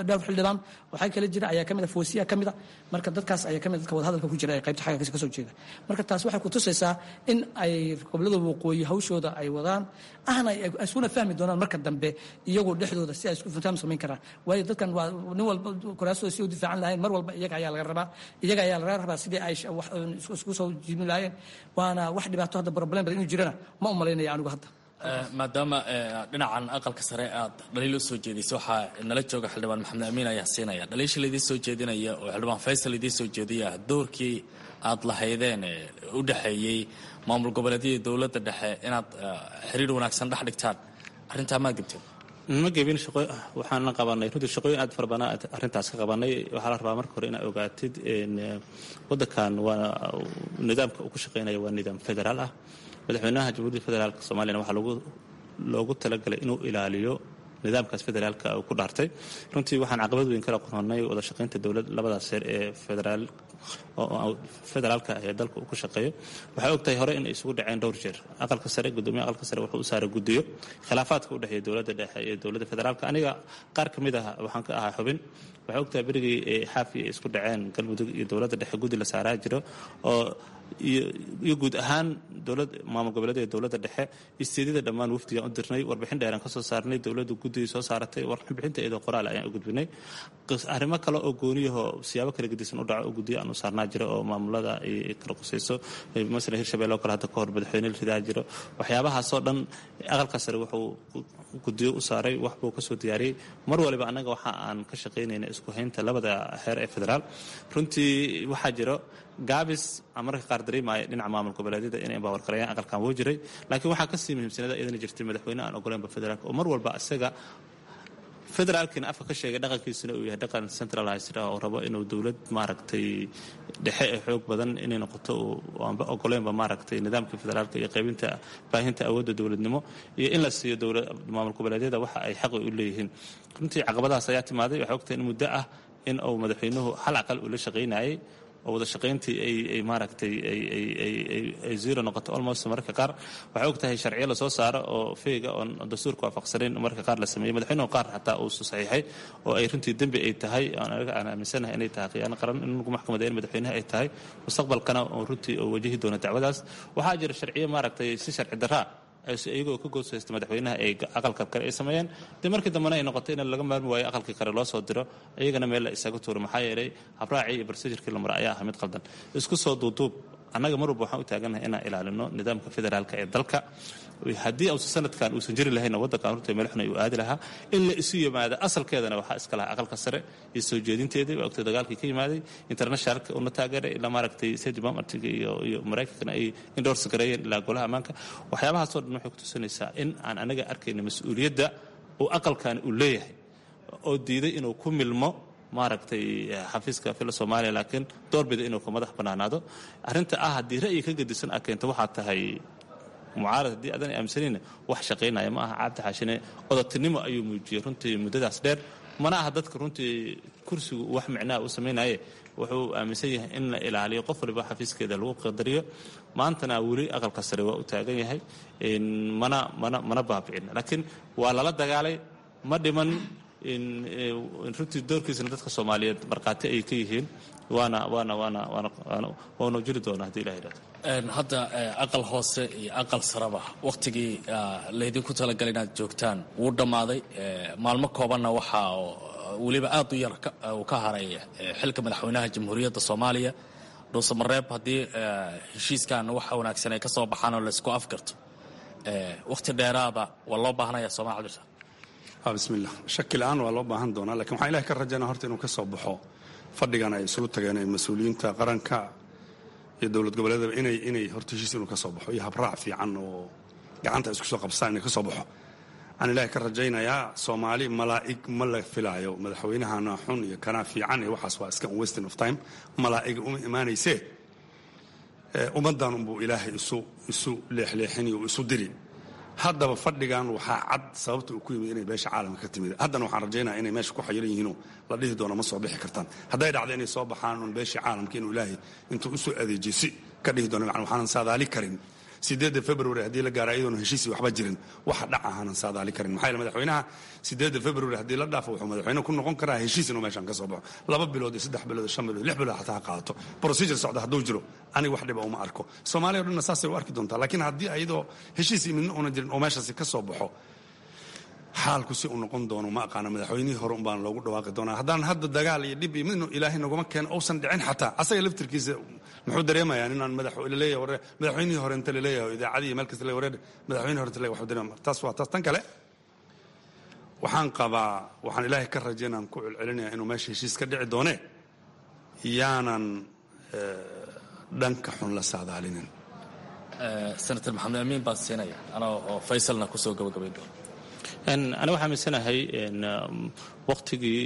dhowr xildhibaan waxaa kale jira ayaa ka mid ah, Foosiya ka mid ah. Marka dadkaas ayaa ka mid dadka wadahadalka ku jira ee qaybta xagga ka soo jeeda. Marka taas waxay ku tusaysaa in ay gobollada waqooyi hawshooda ay wadaan ahna ay isuna fahmi doonaan marka dambe iyagu dhexdooda si ay isku faham samayn karaan, waayo dadkan waa nin walba kuraastooda si u difaacan lahayn mar walba iyaga ayaa laga rabaa, iyaga ayaa laga rabaa sidii ay isku soo jiibin lahaayeen. Waana wax dhibaato hadda problem badan inuu jirana ma u malaynaya anigu hadda. Maadaama dhinacan aqalka sare aad dhaliil u soo jeedisay, waxaa nala jooga xildhibaan Maxamed Amiin ayaa siinaya dhaliisha laidiin soo jeedinaya oo xildhibaan Faysal idiin soo jeediya doorkii aad lahaydeen u dhexeeyey maamul goboleedyada dowladda dhexe inaad xiriir wanaagsan dhex dhigtaan. Arrintaa maa gebteen? Ma gebin. Shaqo waxaana qabanay runtii shaqooyin aad fara badan arrintaas ka qabanay. Waxaa la rabaa marka hore inaad ogaatid waddankan waa nidaamka uu ku shaqeynaya waa nidaam federaal ah. Madaxweynaha Jamhuuriyadda Federaalka Soomaaliyana waxaa loogu talagalay inuu ilaaliyo nidaamkaas federaalka uu ku dhaartay. Runtii waxaan caqabad weyn kala qoronay wada shaqaynta dowlad labadaas heer ee federaal federaalka ee dalka uu ku shaqeeyo. Waxay ogtahay hore in ay isugu dhaceen dhowr jeer aqalka sare. Gudoomiyaha aqalka sare wuxuu u saaray guddiyo khilaafaadka u dhexeeya dowladda dhexe iyo dowladda federaalka. Aniga qaar ka mid ah waxaan ka ahaa xubin. Waxay ogtahay berigii Xaafi ay isku dhaceen Galmudug iyo dowladda dhexe, guddi la saaraa jiro oo Iyo guud ahaan dowlad maamul goboleed, dowladda dhexe, isteedada dhammaan wafdigaan u dirnay, warbixin dheeraan ka soo saarnay, dowladda guddigii soo saaratay warbixinta iyadoo qoraal ayaan u gudbinay. Arrimo kale oo gooniyahoo siyaabo kala gedisan u dhaco oo guddiyo aan u saarnaa jiro oo maamulada ay kala qusayso, masalan Hirshabelle oo kale hadda ka hor madaxweyne la ridaa jiro. Waxyaabahaasoo dhan Aqalka Sare wuxuu guddiyo u saaray, wax buu kasoo diyaariyey. Mar waliba annaga waxa aan ka shaqaynayna isku haynta labada heer ee federaal. Runtii waxaa jiro gaabis aan mararka qaar dareemaya dhinaca maamul goboleedyada inay empower gareeyaan aqalkan, wuu jiray, laakiin waxaa kasii muhiimsanada iyadana jirtay madaxweyne aan ogoleynba federaalka, oo mar walba isaga federaalkiina afka ka sheegay, dhaqankiisuna uu yahay dhaqan centralized ah oo rabo inuu dowlad maaragtay dhexe ee xoog badan inay noqoto, aanba ogoleynba maaragtay nidaamka federaalka iyo qaybinta baahinta awoodda dowladnimo iyo in la siiyo dowlad maamul goboleedyada waxa ay xaqi u leeyihiin. Runtii caqabadahaas ayaa timaaday. Waxay ogtahay in muddo ah in uu madaxweynuhu hal aqal uu la shaqaynayay oo wada shaqayntii ay maaragtay ay zero noqoto almost mararka qaar. Waxay og tahay sharciyo lasoo saaro oo feega oon dastuurka waafaqsanayn mararka qaar la sameeyey, madaxweynuhu qaar xataa uu saxiixay, oo ay runtii dembi ay tahay, anaga aan aaminsanahay inay tahay khiyaano qaran, in lagu maxkamadeyn madaxweynaha ay tahay, mustaqbalkana oo runtii uu wajahi doono dacwadaas. Waxaa jira sharciyo maaragtay si sharci darraa iyagoo ka gooshaysta madaxweynaha ay aqalka kale ay sameeyeen, dee markii dambena ay noqotay in laga maarmi waayo aqalkii kale loo soo diro, iyagana meel la isaga tuuro, maxaa yeelay habraacii iyo procedure-kii la mara ayaa ahaa mid qaldan. Isku soo duuduub, annaga mar walba waxaan u taagannahay inaan ilaalino nidaamka federaalka ee dalka. Haddii uusan sanadkan uusan jiri lahayna, waddankan runtii meel xun ayuu aadi lahaa. In la isu yimaado asalkeedana waxaa iska lahaa Aqalka Sare iyo soo jeedinteedii. Waa ogtay dagaalkii ka yimaaday internationalka una taageeray, ilaa maaragtay State Department iyo Maraykankana ay endorse gareeyeen, ilaa Golaha Ammaanka. Waxyaabahaasoo dhan waxay ku tusinaysaa in aan anaga arkayna mas-uuliyadda uu aqalkan uu leeyahay, oo diiday inuu ku milmo maaragtay xafiiska Fila Soomaaliya, laakiin doorbida inuu ka madax bannaanaado. Arrinta ah haddii ra'yi ka gedisan aad keento waxaad tahay mucaarad, haddii aadan aaminsanayna wax shaqaynaya ma aha. Cabdi Xaashine odatinimo ayuu muujiyey runtii muddadaas dheer. Mana aha dadka runtii kursigu wax micnaha u samaynaye, wuxuu aaminsan yahay in la ilaaliyo qof waliba xafiiskeeda lagu qadariyo. Maantana weli Aqalka Sare waa u taagan yahay, mana baabicin, laakiin waa lala dagaalay, ma dhiman runtii. Doorkiisana dadka Soomaaliyeed markhaati ay ka yihiin, waana jiri doona haddii Ilah yidhahdo. Hadda aqal hoose iyo aqal sareba wakhtigii laydinku talagalay inaad joogtaan wuu dhammaaday. Maalmo koobanna waxaa weliba aad u yar uu ka haray xilka madaxweynaha Jamhuuriyadda Soomaaliya. Dhuusamareeb haddii heshiiskan waxa wanaagsan ay ka soo baxaan oo laysku afgarto, wakhti dheeraada waa loo baahanaya, sooma Cabdirsa? Bismillah, shaki la-aan waa loo baahan doonaa, lakin waxaan Ilahay ka rajaynaa horta inuu ka soo baxo fadhigan ay isugu tageen ee mas-uuliyiinta qaranka iyo dowlad goboleedaba inay horta heshiis inuu ka soo baxo iyo habraac fiican oo gacanta isku soo qabsaan inay ka soo baxo waxaan Ilaahay ka rajaynayaa. Soomaali malaa'ig ma la filaayo. Madaxweynahana xun iyo kanaa fiican iyo waxaas waa iska wasting of time. Malaa'ig uma imaanaysee, ummaddan unbuu Ilaahay isu leexleexiniyo isu diri. Haddaba fadhigan waxaa cad sababta uu ku yimid inay beesha caalamka ka timid. Haddana waxaan rajaynaya inay meesha ku xayiran yihiinoo la dhihi doono ma soo bixi kartaan. Hadday dhacdo inay soo baxaan un beeshii caalamka inuu Ilaahay intuu usoo adeejiyo si ka dhihi doono, macna waxaanan saadaali karin 8 February haddii la gaaro iyadoona heshiisii waxba jirin waxa dhac ahaanan saadaali karin. Maxaa yeele madaxweynaha 8 February haddii la dhaafo wuxuu madaxweyne ku noqon karaa heshiis inuu meeshan ka soo baxo, 2 bilood iyo 3 bilood iyo 5 bilood, 6 bilood xataa ha qaadato. Procedure socda hadduu jiro, aniga wax dhiba uma arko. Soomaaliya o dhanna saasay u arki doontaa. Laakiin haddii ayadoo heshiis iyo midna una jirin oo meeshaasi ka soo baxo, xaalku si uu noqon doono ma aqaano. Madaxweynihii hore un baan loogu dhawaaqi doonaa. Haddaan hadda dagaal iyo dhib iyo midnu Ilaahay naguma keeno uusan dhicin, xataa asaga laftirkiisa muxuu dareemayaa inaan madax laleeyahay warre madaxweynihii hore inta laleeyahay oo idaacadii iyo meel kasta leeyahay warre madaxweynihii hore inta leeyahay waxuu dareemaya. Taas waa taas. Tan kale waxaan qabaa, waxaan Ilaahay ka rajaynaan ku celcelinaya inuu meesha heshiis ka dhici doone, yaanan dhanka xun la saadaalinin. Senator Maxamed Amiin baan siinaya anoo oo Faysalna kusoo gabagabayn doona. Aniga waxaa aaminsanahay waqtigii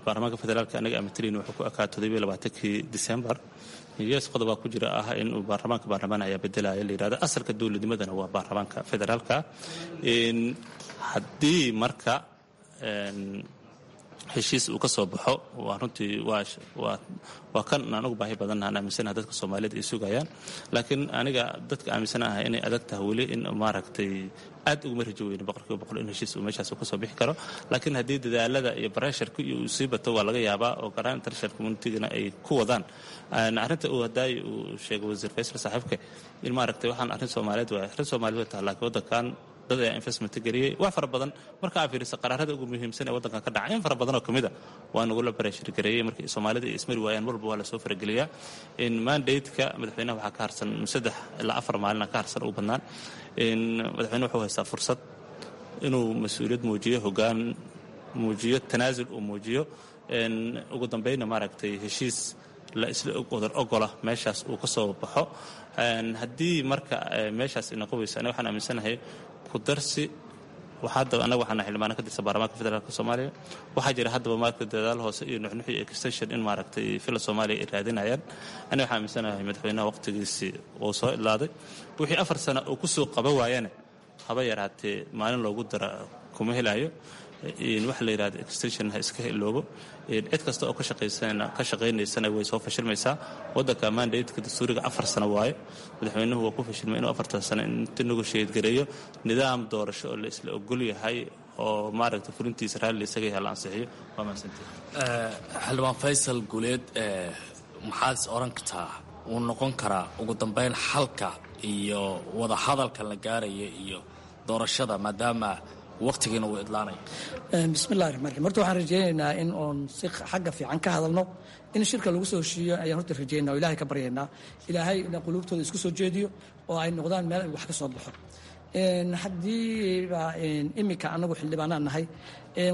baarlamaanka federaalka anaga amatalin wuxuu ku ekaa 27-kii December. Yes, qodobaa ku jira ah in uu baarlamaanka baarlamaan ayaa bedelaya la yidhahdo. Asalka dowladnimadana waa baarlamaanka federaalka. Haddii marka Heshiis uu ka soo baxo waa runtii waa kan aan ugu baahi badannaha, aan aaminsanaha dadka Soomaaliyeed ay sugayaan. Laakiin aniga dadka aaminsanaha inay adag tahay weli in maaragtay aad uguma rajo weyno 100% in heshiis uu meeshaas ka soo bixi karo. Laakiin haddii dadaalada iyo pressureka iyo uu sii bato, waa laga yaabaa, oo garaan international communitygana ay ku wadaan arrinta uu hadaay uu sheegay Wasiir Faysal saaxiibka, in maaragtay waxaan arrin Soomaaliyeed waa arrin Soomaaliyeed tahay, laakiin waddankan dad ayaa investment geliyey wax fara badan. Marka aa fiiriso qaraarada ugu muhiimsan ee waddankan ka dhacay, in fara badan oo kamid a waa nagula pressure gareeyey. Markii Soomaalida ay ismari waayaan, walba waa lasoo farageliyaa. In mandate-ka madaxweynaha waxaa ka harsan 3 ilaa 4 maalina ka harsan ugu badnaan. In madaxweyne wuxuu haystaa fursad inuu mas-uuliyad muujiyo, hoggaan muujiyo, tanaasul uu muujiyo, ugu dambeynna maaragtay heshiis la isla wadar ogola meeshaas uu ka soo baxo. Haddii marka meeshaas noqon weyso, aniga waxaan aaminsanahay ku darsi. Hadda annaga waxaana xildhibaano ka tirsan baarlamaanka federaalka Soomaaliya. Waxaa jira haddaba maaragtay dadaal hoose iyo nuxnuxi extension in maaragtay Villa Soomaaliya ay raadinayaan. Aniga waxaan aaminsanahay madaxweynaha waqtigiisii uu soo idlaaday. Wixii 4 sano uu kusoo qaban waayana, haba yaraatee maalin loogu dara kuma helayo. Waxa la yidhahda extension ha iska iloobo. Cid kasta oo ka shaqaynaysana way soo fashilmaysaa. Waddanka mandate-ka dastuuriga 4 sano waaye. Madaxweynuhu waa ku fashilmay inuu 4-tan sano inta negotiate gareeyo nidaam doorasho oo la isla ogol yahay oo maaragtay fulintiisa raalli isaga yahay la ansixiyo. Waa mahadsantihi. Xildhibaan Faysal Guuleed, maxaad is oran kartaa wuu noqon karaa ugu dambeyn xalka iyo wadahadalka la gaaraya iyo doorashada, maadaama waqtigiina uu idlaanay? Bismillahi raxmaan raxiim. Horta waxaan rajaynaynaa in oon si xagga fiican ka hadalno, in shirka lagu soo heshiiyo ayaan horta rajaynaa oo Ilahay ka baryaynaa, Ilaahay ina quluubtooda isku soo jeediyo oo ay noqdaan meel ay wax ka soo baxo. Haddiiba iminka anagu xildhibaanaan nahay,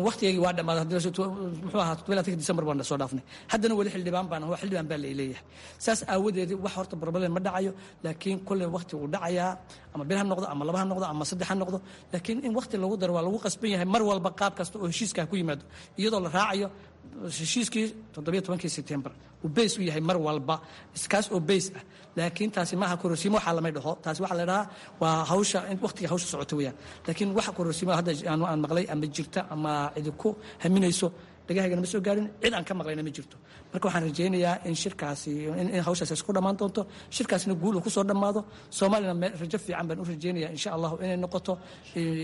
waqtigeygii waa dhammaaday. Muxuu ahaa, 27-ka December baan soo dhaafnay, haddana weli xildhibaan baan, waa xildhibaan baa laleeyahay. Saas aawadeed wax horta problem ma dhacayo, laakiin kolley waqti uu dhacayaa, ama bil ha noqdo, ama laba ha noqdo, ama saddex ha noqdo, laakiin in waqti lagu daro waa lagu qasban yahay mar walba, qaab kasta oo heshiiska ku yimaado, iyadoo la raacayo heshiiskii 17-kii September uu base u yahay mar walba, iskaas oo base ah. Laakiin taasi maaha kororsiimo, waxaa lamay dhaho. Taasi waxaa la dhahaa waa hawsha in waqtiga hawsha socota weeyaan. Laakiin waxa kororsiimo hadda aan maqlay ama jirta ama cidi ku haminayso, dhagahaygana ma soo gaarin, cid aan ka maqlayna ma jirto. Marka waxaan rajaynayaa in shirkaasi in hawshaasi isku dhammaan doonto, shirkaasina guul uu kusoo dhammaado. Soomaalina rajo fiican baan u rajaynaya, insha Allahu, inay noqoto,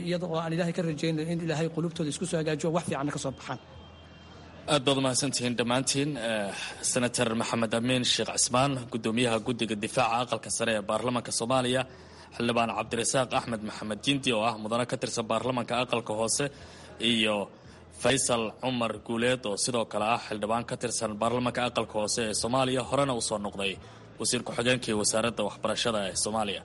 iyada oo aan Ilaahay ka rajaynayo in Ilaahay qulubtooda isku soo hagaajiyo, wax fiicanna ka soo baxaan. Aad baad umahadsantihiin dhammaantiin. Senator Maxamed Amiin Sheekh Cismaan, guddoomiyaha guddiga difaaca aqalka sare ee baarlamaanka Soomaaliya, xildhibaan Cabdirasaaq Axmed Maxamed Jindi oo ah mudane ka tirsan baarlamaanka aqalka hoose, iyo Faysal Cumar Guuleed oo sidoo kale ah xildhibaan ka tirsan baarlamaanka aqalka hoose ee Soomaaliya, horena usoo noqday wasiir ku-xigeenkii wasaaradda waxbarashada ee Soomaaliya.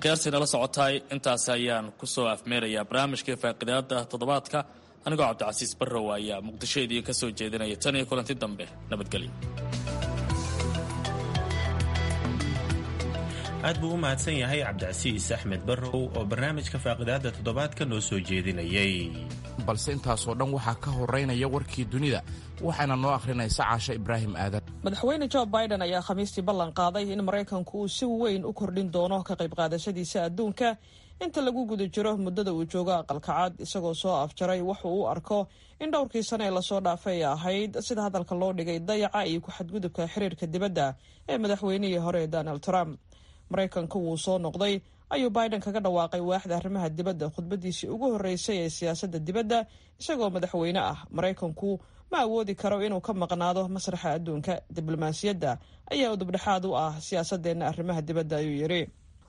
Khiyaartii nala socotaay, intaas ayaan kusoo afmeerayaa barnaamijkii faaqidaada toddobaadka. Anigoo Cabdicasiis Barrow ayaa Muqdisho idiin ka soo jeedinaya. Tan iyo kulanti dambe, nabadgelyo. Aad buu u mahadsan yahay Cabdicasiis Axmed Barrow oo barnaamijka faaqidaada toddobaadka noo soo jeedinayay. Balse intaasoo dhan waxaa ka horeynaya warkii dunida, waxaana noo akhrinaysa Caasha Ibraahim Aadan. Madaxweyne Joe Biden ayaa Khamiistii ballan qaaday in Maraykanku uu si weyn u kordhin doono ka qayb qaadashadiisa adduunka inta lagu guda jiro muddada uu joogo Aqalka Cad, isagoo soo afjaray wuxuu u arko in dhowrkii sano ee lasoo dhaafay ay ahayd, sida hadalka loo dhigay, dayaca iyo ku-xadgudubka xiriirka dibadda ee madaxweynihii hore ee Donald Trump. "Maraykanku wuu soo noqday," ayuu Biden kaga dhawaaqay waaxda arrimaha dibadda khudbadiisii ugu horreysay ee siyaasadda dibadda isagoo madaxweyne ah. "Maraykanku ma awoodi karo inuu ka maqnaado masraxa adduunka. Diblomaasiyadda ayaa udubdhexaad u ah siyaasadeenna arrimaha dibadda," ayuu yidhi.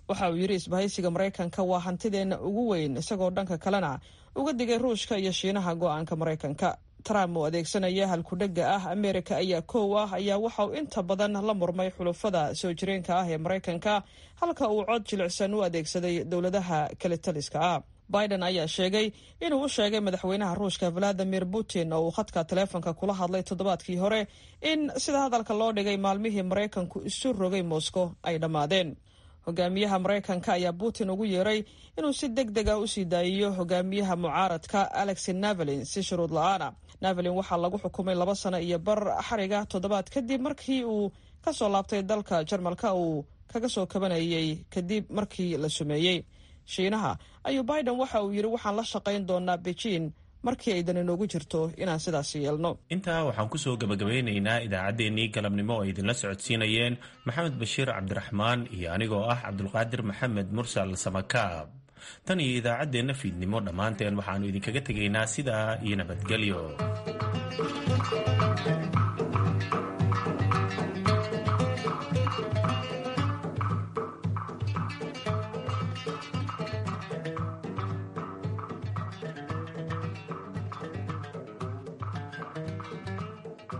Waxa uu yidhi, "Isbahaysiga Maraykanka waa hantideenna ugu weyn," isagoo dhanka kalena uga digay Ruushka iyo Shiinaha go'aanka Maraykanka. Trump oo adeegsanaya halkudhega ah "Amerika ayaa koow ah" ayaa waxa uu inta badan la murmay xulufada soo jireenka ah ee Maraykanka, halka uu cod jilicsan u adeegsaday dowladaha kale taliska ah. Biden ayaa sheegay inuu u sheegay madaxweynaha Ruushka Valadimir Putin, oo uu khadka taleefonka kula hadlay toddobaadkii hore, in sida hadalka loo dhigay maalmihii Maraykanku isu rogay Moscow ay dhammaadeen. Hogaamiyaha Maraykanka ayaa Putin ugu yeeray inuu si deg deg ah usii daayiyo hogaamiyaha mucaaradka Alexi Navalny si shuruud la-aana. Navalny waxaa lagu xukumay 2 sano iyo bar xariga toddobaad kadib markii uu kasoo laabtay dalka Jarmalka uu kaga soo kabanayay kadib markii la sumeeyey. Shiinaha ayuu Biden waxa uu yidhi, "Waxaan la shaqayn doonaa Beijing Markii ay dan inoogu jirto inaan sidaas yeelno. Intaa waxaan kusoo gabagabeynaynaa idaacaddeenii galabnimo oo idinla socodsiinayeen Maxamed Bashiir Cabdiraxmaan iyo anigoo ah Cabdulqaadir Maxamed Mursal Samakaab. Tan iyo idaacaddeenna fiidnimo, dhammaanteen waxaannu idinkaga tegaynaa sidaa iyo nabadgelyo.